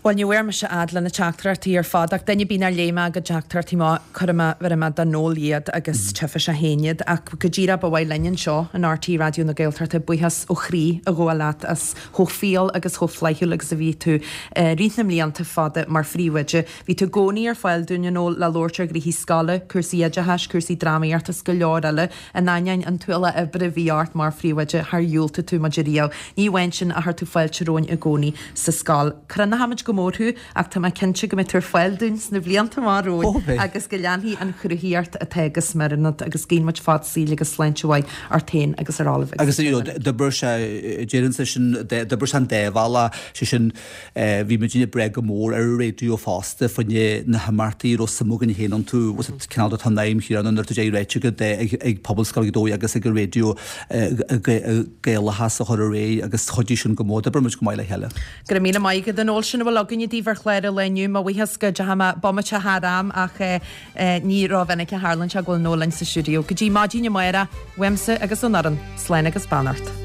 Bhuel, ní bhfuair mise fhad le na teachtaireachtaí ar fad ach duine ar bith nár léigh mé a gcuid teachtaireachtaí amach, cuirfidh mé, bhéarfaidh mé do Noel iad agus tchífidh sé féin iad. Ach go díreach ba mhaith linn anseo in RTÉ Raidió na Gaeltachta buíochas ó chroí a ghabháil leat as chomh fial agus chomh flaithiúil agus a bhí tú i rith na mblianta fada mar phríomhoide. Bhí tú i gcónaí ar fáil dúinn, a Noel, le labhairt ar ghnoithí scoile, cúrsaí oideachais, cúrsaí drámaíochta is go leor eile. In ainneoin an t-ualach oibre a bhí ort mar phríomhoide, char dhiúltaigh tú muid ariamh. Ní amháin sin ach chuir tú fáilte romhainn i gcónaí sa scoil. Cronóchaimid go mór thú ach tá mé cinnte go mbeidh tú ar fáil dúinn sna blianta amach romhainn agus go leanfaidh an chruthaíocht atá go smior ionat agus guíonn muid fad saoil agus sláinte mhaith ort féin agus ar Olive agus you know d'oibir sé déarfainnse sin d'oibir sé an dá bhealach sé sin Bhí muidinne ag brath go mór ar an raidió fosta fá choinne na himeachtaí a raibh suim againn féin iontu. Cineál de tá an aidhm chéanna nuair atá sé ráite agat ag Pobalscoil Ghaoth Dobhair agus ag an raidió Gaelachas a chur ar aghaidh agus chuidigh sin go mór. D'oibir muid go maith le chéile. Go raibh míle maith agat a Noel. Sin a bhfuil againne daoibh ar chlár an lae inniu. Mo bhuíochas go dteachaigh mé bomaite thar am ach ní rómhinic a tharlaíonn sé go bhfuil Noel linn sa stiúideo. Go dtí maidin amárach, uaimse agus ón fhoireann, slán agus beannacht.